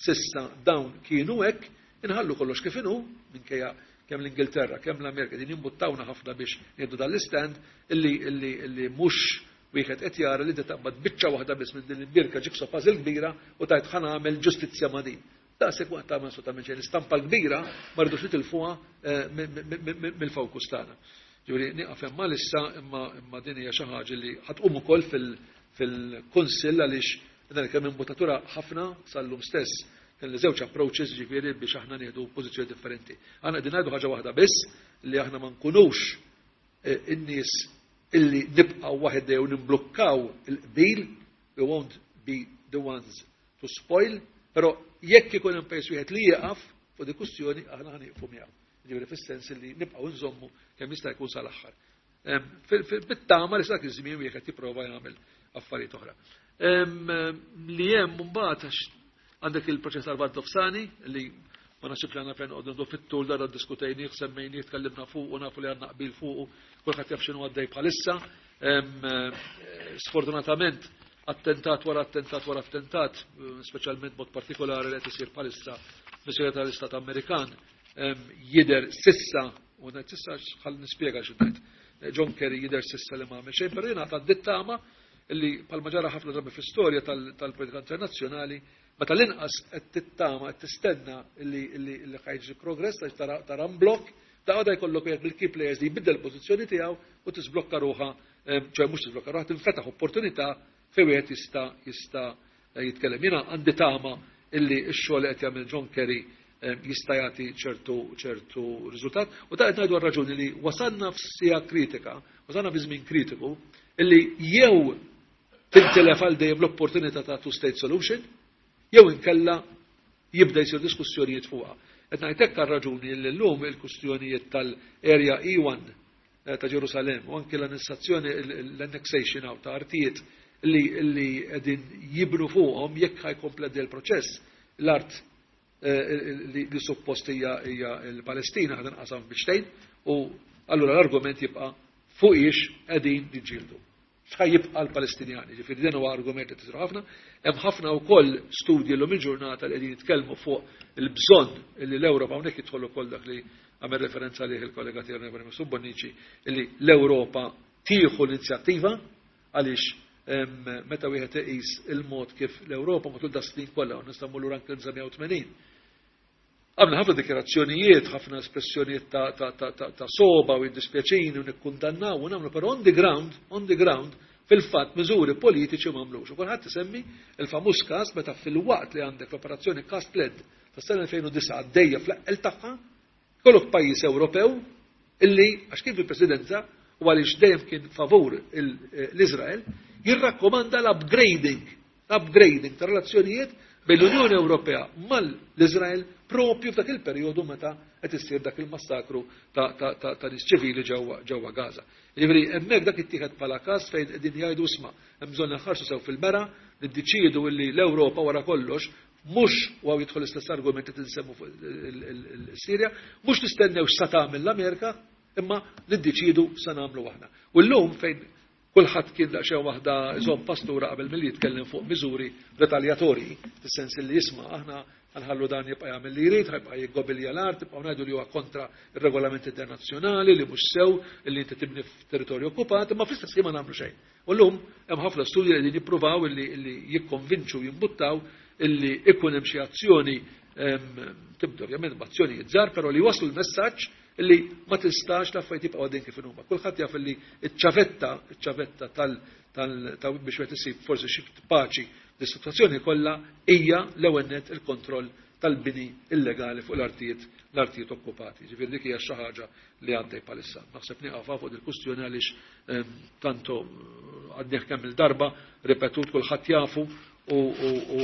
sissa dawn kienu hekk, inħallu kollox kif inhu, minkejja kemm l-Ingilterra, kemm l-Amerika din jimbuttawna ħafna biex nieħdu dan l-istand illi mhux wieħed qed jara li taqbad biċċa waħda biss minn din il-birka jigsaw puzzle kbira u tajt ħa nagħmel ġustizzja ma' din. Daqshekk waqt tagħmel assolutament xejn. L-istampa l-kbira ma rridux nitilfuha mill-fokus tagħna. Ġifieri nieqaf hemm issa, imma din hija xi ħaġa li ħa tqum ukoll fil-Kunsill għaliex dan kemm imbuttatura ħafna sal-lum stess kien li żewġ approaches ġifieri biex aħna nieħdu pożizzjoni differenti. Aħna qegħdin ngħidu ħaġa waħda biss li aħna ma nkunux in-nies illi nibqgħu waħedna jew nimblukkaw il-qbil, we won't be the ones to spoil, però jekk ikun hemm pajjiż wieħed li jieqaf fuq di kwistjoni aħna ħa nieqfu miegħu. Ġifieri fis-sens li nibqgħu nżommu kemm jista' jkun sal-aħħar. Bit-tama li sak iż-żmien wieħed jipprova jagħmel affarijiet oħra. Li hemm mbagħad għax għandek il-proċess tal-Lvant Nofsani li ma naħsibx li għandna fejn noqogħdu fit-tul dara ddiskutejnieh, semmejnieh, tkellimna fuq u nafu li għandna qbil fuq, kulħadd jaf x'inhu għaddej bħalissa. Sfortunatament attentat wara attentat wara attentat, speċjalment mod partikolari li qed isir bħalissa mis-Segretarju tal-Istat Amerikan, jidher sissa, u ngħid sissa ħalli nispjega xi ngħid. John Kerry jidher sissa li ma għamel xejn, però jiena għandi tama illi bħalma ġara ħafna drabi fl-istorja tal-politika internazzjonali, meta l-inqas qed tittama, qed tistenna illi ħa jiġri progress għax tara blokk, da għada jkollok wieħed mill-key players li jbiddel pożizzjoni tiegħu u tisblokka ruħha, ċoè mhux tisblokka ruħha, tinfetaħ opportunità fejn wieħed jista' jitkellem. Jiena għandi tama illi x-xogħol li qed jagħmel John Kerry jista' jagħti ċertu riżultat. U ta' qed ngħidu raġuni li wasalna f'sija kritika, wasalna fi żmien kritiku, illi jew tintilef għal dejjem l-opportunità ta' two-state solution, jew inkella jibda jsir diskussjonijiet fuqha. Qed ngħid hekk għar-raġuni li llum il-kwistjonijiet tal-Area E1 ta' Ġerusalem u anke l-annessazzjoni, l-annexation ta' artijiet li qegħdin jibnu fuqhom jekk ħa jkompli il-proċess, l-art li suppost hija l-Palestina ħa tinqasam biċċtejn, u allura l-argument jibqa' fuq ix qegħdin niġġieldu. X'ħa jibqa' l-Palestinjani, ġifieri din huwa argument li tisru ħafna. Hemm ħafna wkoll studji llum il-ġurnata li qegħdin jitkellmu fuq il-bżonn li l-Ewropa, hawnhekk jidħol ukoll dak li għamel referenza lih il-kollega tiegħi Onorevoli Mifsud Bonnici, illi l-Ewropa tieħu l-inizjattiva għaliex meta wieħed iqis il-mod kif l-Ewropa matul da snin kollha, u nistgħu mmur lura anke l-1980. Għamna ħafna dikjarazzjonijiet, ħafna espressjonijiet ta' soba u jiddispjaċini u nikkundannaw u nagħmlu, però on the ground, fil-fatt miżuri politiċi m'għamlux. U kulħadd isemmi il-famuż każ meta fil-waqt li għandek l-operazzjoni Cast Lead tas-sena 2009 għaddejja fl-eqqel tagħha, kollok pajjiż Ewropew illi, għax kien fil-presidenza u għaliex dejjem kien favur l-Iżrael, jirrakkomanda l-upgrading ta' relazzjonijiet bejn l-Unjoni Ewropea mal-Iżrael propju f'dak il-perjodu meta qed issir dak il-massakru ta' nies ċivili ġewwa Gaza. Jiġifieri hemmhekk dak ittieħed bħala każ fejn qegħdin jgħidu isma' hemm bżonn nħarsu sew fil-mera, niddeċiedu illi l-Ewropa wara kollox mhux u hawn jidħol l-istess argument li tinsemmu fuq il-Sirja, mhux nistennew x'sa tagħmel l-Amerika, imma niddeċiedu sa nagħmlu aħna. U llum fejn kulħadd kien daqsxejn waħda iżomm pastura qabel milli jitkellem fuq miżuri retaljatorji, fis-sens li jisma' aħna nħallu dan jibqa' jagħmel li jrid, ħajbqa' jiggobilja l-art, tibqgħu ngħidu li huwa kontra r-regolamenti internazzjonali li mhux sew li inti tibni f'territorju okkupat, imma fl-istess ħin ma nagħmlu xejn. U llum hemm ħafna studji li qegħdin jippruvaw illi jikkonvinċu jimbuttaw illi ikun hemm xi azzjoni tibda ovvjament b'azzjonijiet żgħar, però li waslu l-messaġġ illi ma tistax l-affarijiet jibqgħu għaddejjin kif huma. Kulħadd jaf illi iċ-ċavetta ta' biex wieħed isib forsi xi paċi dis-sitwazzjoni kollha hija l-ewwel nett il-kontroll tal-bini illegali fuq l-artijiet okkupati. Ġifieri dik hija xi ħaġa li għaddej bħalissa. Naħseb nieqaf fuq il-kwistjoni għaliex tanto għadnieh kemm il-darba ripetut kulħadd jafu u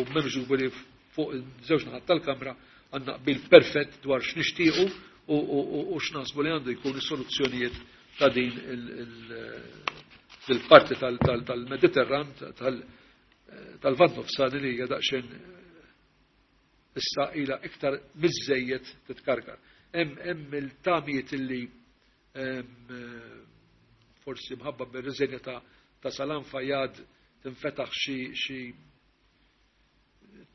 m'hemmx dubju li fuq żewġ naħat tal-Kamra għandna qbil perfett dwar x'nixtiequ u x'naħsbu li għandu jkun is-soluzzjonijiet ta' din il-parti tal-Mediterran tal-Lvant Nofsani li hija daqsxejn issa ilha iktar miżżejjed titkarkar. Hemm il-tamijiet illi forsi mħabba bir-riżenja ta' Salam Fayyad tinfetaħ xi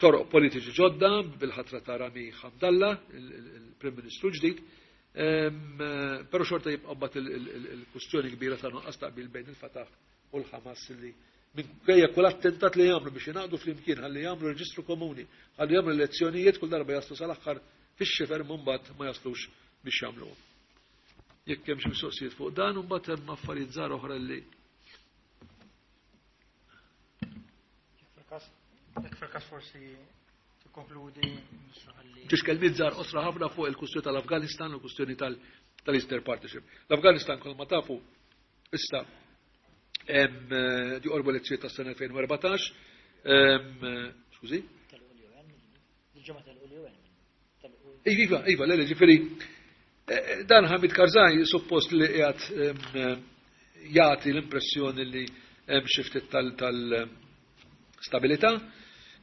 toroq politiċi ġodda bil-ħatra ta' Rami Hamdallah, il-Prim Ministru ġdid, però xorta jibqa' mbagħad il-kwistjoni kbira ta' nuqqas taqbil bejn il-Fatah u l-Ħamas li minkejja kull attentat li jagħmlu biex jingħaqdu flimkien ħalli jagħmlu reġistru komuni, ħalli jagħmlu elezzjonijiet kull darba jaslu sal-aħħar fix-xifer mbagħad ma jaslux biex jagħmluhom. Jekk hemm xi mistoqsijiet fuq dan, mbagħad hemm affarijiet żgħar oħra li Jekk fil-każ forsi tikkonkludi Ġiex kelmiet żgħar qosra ħafna fuq il-kwistjoni tal-Afganistan u l-kwistjoni tal-Eastern Partnership. L-Afganistan kol ma tafu issa di qorbu elezzjoni tas-sena 2014. Skużi? Iva, iva, le, ġifieri dan Hamid Karzai suppost li qiegħed jagħti l-impressjoni li hemm xi ftit tal-stabilità.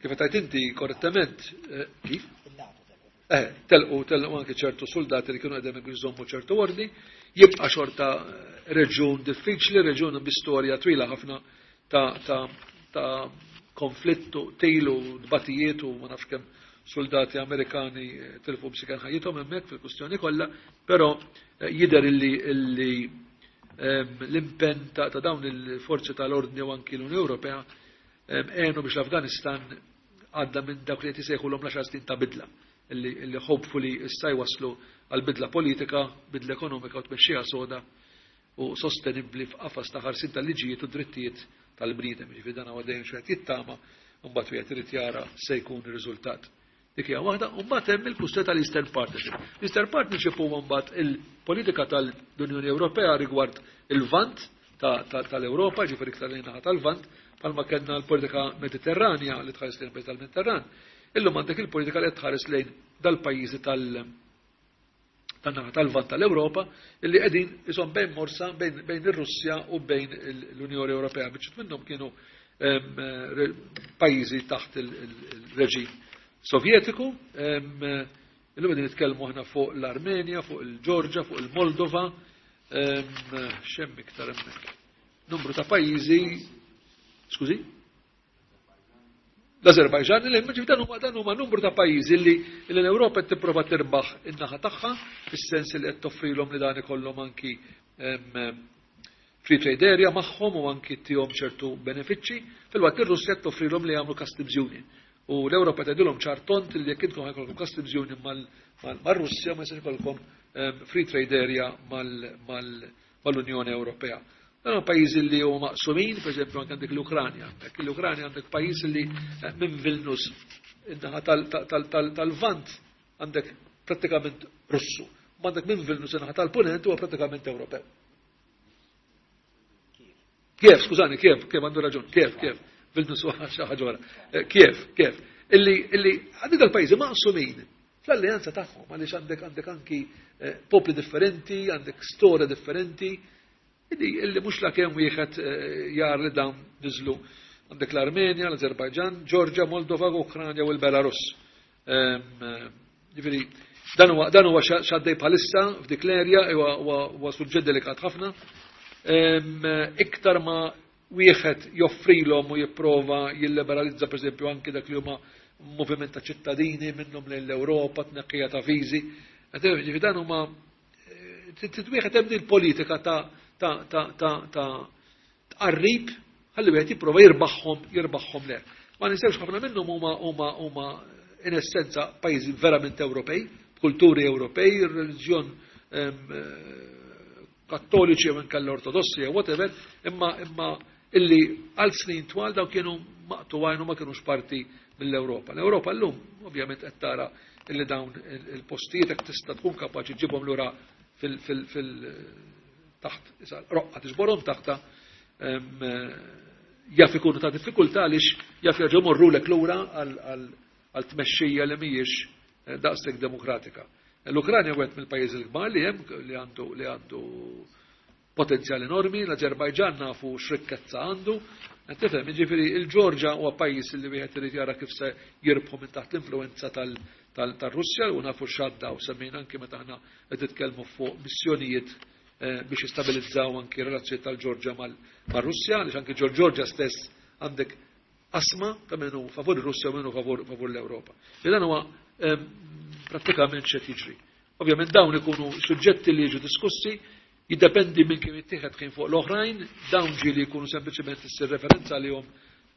Kif qed inti korrettament, kif? Telqu anke ċertu soldati li kienu qegħdin jżommu ċertu ordni, jibqa' xorta reġjun diffiċli, reġjun bi storja twila ħafna ta' konflittu, tilu, dbatijiet u ma nafx kemm soldati Amerikani tilfu b'sikan ħajjithom hemmhekk fil-kwistjoni kollha, però jidher illi l-impenn ta' dawn il-forzi tal-ordni u anki l-Unjoni Ewropea għenu biex l-Afganistan għadda minn dak li qed isejħulhom l-10 snin ta' bidla illi hopefully issa jwaslu għal bidla politika, bidla ekonomika u tmexxija soda u sostenibbli f'qafas ta' ħarsin tal-liġijiet u drittijiet tal-bniedem. Ġifieri dan huwa dejjem xi qed jittama u mbagħad wieħed irid jara se jkun ir-riżultat. Dik hija waħda, u mbagħad hemm il-kwistjoni tal-Eastern Partnership. L-Eastern Partnership huwa mbagħad il-politika tal-Unjoni Ewropea rigward il-Lvant tal-Ewropa, ġifieri iktar lejn naħa tal-Lvant, bħalma kellna l-politika Mediterranja li tħares lejn pajjiż tal-Mediterran. Illum għandek il-politika li tħares lejn dal-pajjiżi tan-naħa tal-Lvant tal-Ewropa illi qegħdin ishom bejn morsa bejn ir-Russja u bejn l-Unjoni Ewropea. Biċċiet minnhom kienu pajjiżi taħt il-reġim Sovjetiku. Illum qegħdin nitkellmu aħna fuq l-Armenja, fuq il-Ġorġa, fuq il-Moldova, x'hemm iktar hemmhekk. Numru ta' pajjiżi, skużi? L-Azerbajġan, li ġifieri dan huma numru ta' pajjiżi li l-Ewropa qed tipprova tirbaħ in-naħa tagħha, fis-sens li qed toffrilhom li dan ikollhom anki free trade area magħhom u anki tihom ċertu benefiċċji, filwaqt li r-Russja qed toffrilhom li jagħmlu customs union. U l-Ewropa tgħidilhom ċar tond li jekk intkom ħajkollkom customs union mar-Russja ma jistax ikollkom free trade area mal-Unjoni Ewropea. Dan pajjiżi li huma maqsumin, pereżempju anke għandek l-Ukranja. Hekk l-Ukranja għandek pajjiż li minn Vilnius in-naħa tal-Lvant għandek prattikament Russu. Ma għandek minn Vilnius in-naħa tal-Punent huwa prattikament Ewropew. Kiev, skużani, Kiev, Kiev għandu raġun, Kiev, Kiev, Vilnius huwa xi ħaġa oħra. Kiev, Kiev. Illi għandi dal-pajjiżi maqsumin fl-alleanza tagħhom għaliex għandek anki popli differenti, għandek storja differenti, illi mhux la kemm wieħed jar li dawn niżlu. Għandek l-Armenja, l-Azerbajġan, Ġorġa, Moldova, Ukranja u l-Belarus. Ġifieri, dan huwa x'għaddej bħalissa f'dik l-erja, huwa suġġett delikat ħafna. Iktar ma wieħed joffrilhom u jipprova jilliberalizza pereżempju anki dak li huma moviment ta' ċittadini minnhom lejn l-Ewropa, tneqqija ta' viżi. Ġifieri dan huma wieħed hemm din politika ta' tqarrib ħalli wieħed jipprova jirbaħhom le. Ma ninsewx ħafna minnhom huma in essenza pajjiżi verament Ewropej, kulturi Ewropej, reliġjon kattoliċi jew inkella ortodossi jew whatever, imma illi għal snin twal daw kienu maqtuwajn u ma kienux parti mill-Ewropa. L-Ewropa llum ovvjament qed tara illi dawn il-postijiet hekk tista' tkun kapaċi ġibhom lura fil taħt roqqa tiġborhom taħta jaf ikunu ta' diffikultà għaliex jaf jerġgħu morrulek lura għal tmexxija li mhijiex daqshekk demokratika. L-Ukranja wieħed mill-pajjiżi l-kbar li hemm li għandu potenzjal enormi, l-Azerbajġan nafu x'rikkezza għandu. Tifhem, jiġifieri il-Ġorġa huwa pajjiż li wieħed irid jara kif se jirbħu minn taħt l-influenza tal-Russja u nafu x'għadda u semmejna anki meta aħna qed nitkellmu fuq missjonijiet biex jistabilizzaw anki relazzjoni tal-Ġorġa mar-Russja, għaliex anki ġol-Ġorġa stess għandek qasma ta' min hu favur ir-Russja u min hu favur l-Ewropa. Dan huwa prattikament x'qed jiġri. Ovvjament dawn ikunu suġġetti li jiġu diskussi, jiddependi minn kif jittieħed kien fuq l-oħrajn, dawn ġieli jkunu sempliċement issir referenza għalihom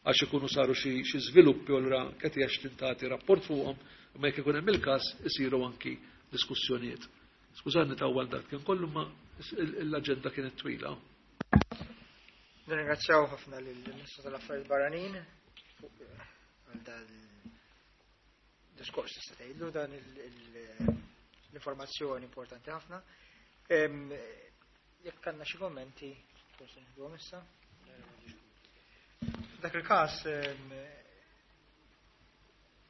għax ikunu saru xi żviluppi u allura qed Ashton tagħti rapport fuqhom, imma jekk ikun hemm il-każ isiru anki diskussjonijiet. Skużani tawwal dak kien kollu ma l-aġenda kienet twila. Nirringrazzjaw ħafna lill-Ministru tal-Affarijiet Barranin għal dan diskors tista' tgħidlu dan l-informazzjoni importanti ħafna. Jekk għandna xi kommenti, forsi nieħduhom issa. F'dak il-każ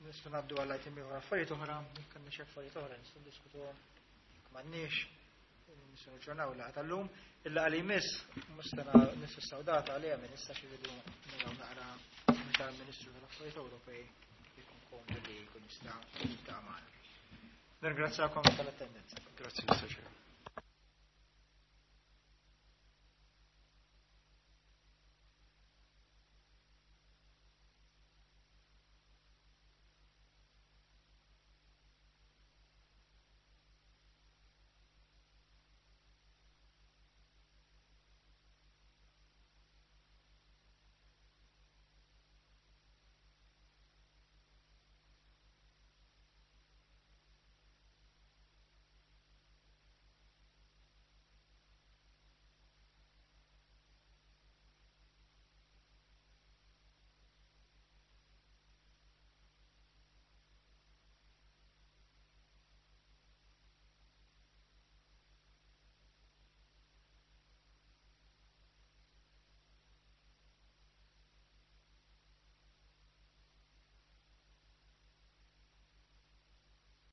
nistgħu ngħaddu għal item ieħor affarijiet oħra, jekk għandna xi affarijiet oħra nistgħu ndiskutuhom. Jekk m'għandniex, nistgħu niġġornaw il-laqgħa tal-lum. Il-laqgħa li jmiss mhux nistgħu data għaliha minn issa xi rridu naraw naqra meta l-Ministru tal-Affarijiet Ewropej jkun komdu li jkun jista' jiltaqa' magħna. Nirringrazzjakom tal-attendenza. Grazzi, Mr. Chair.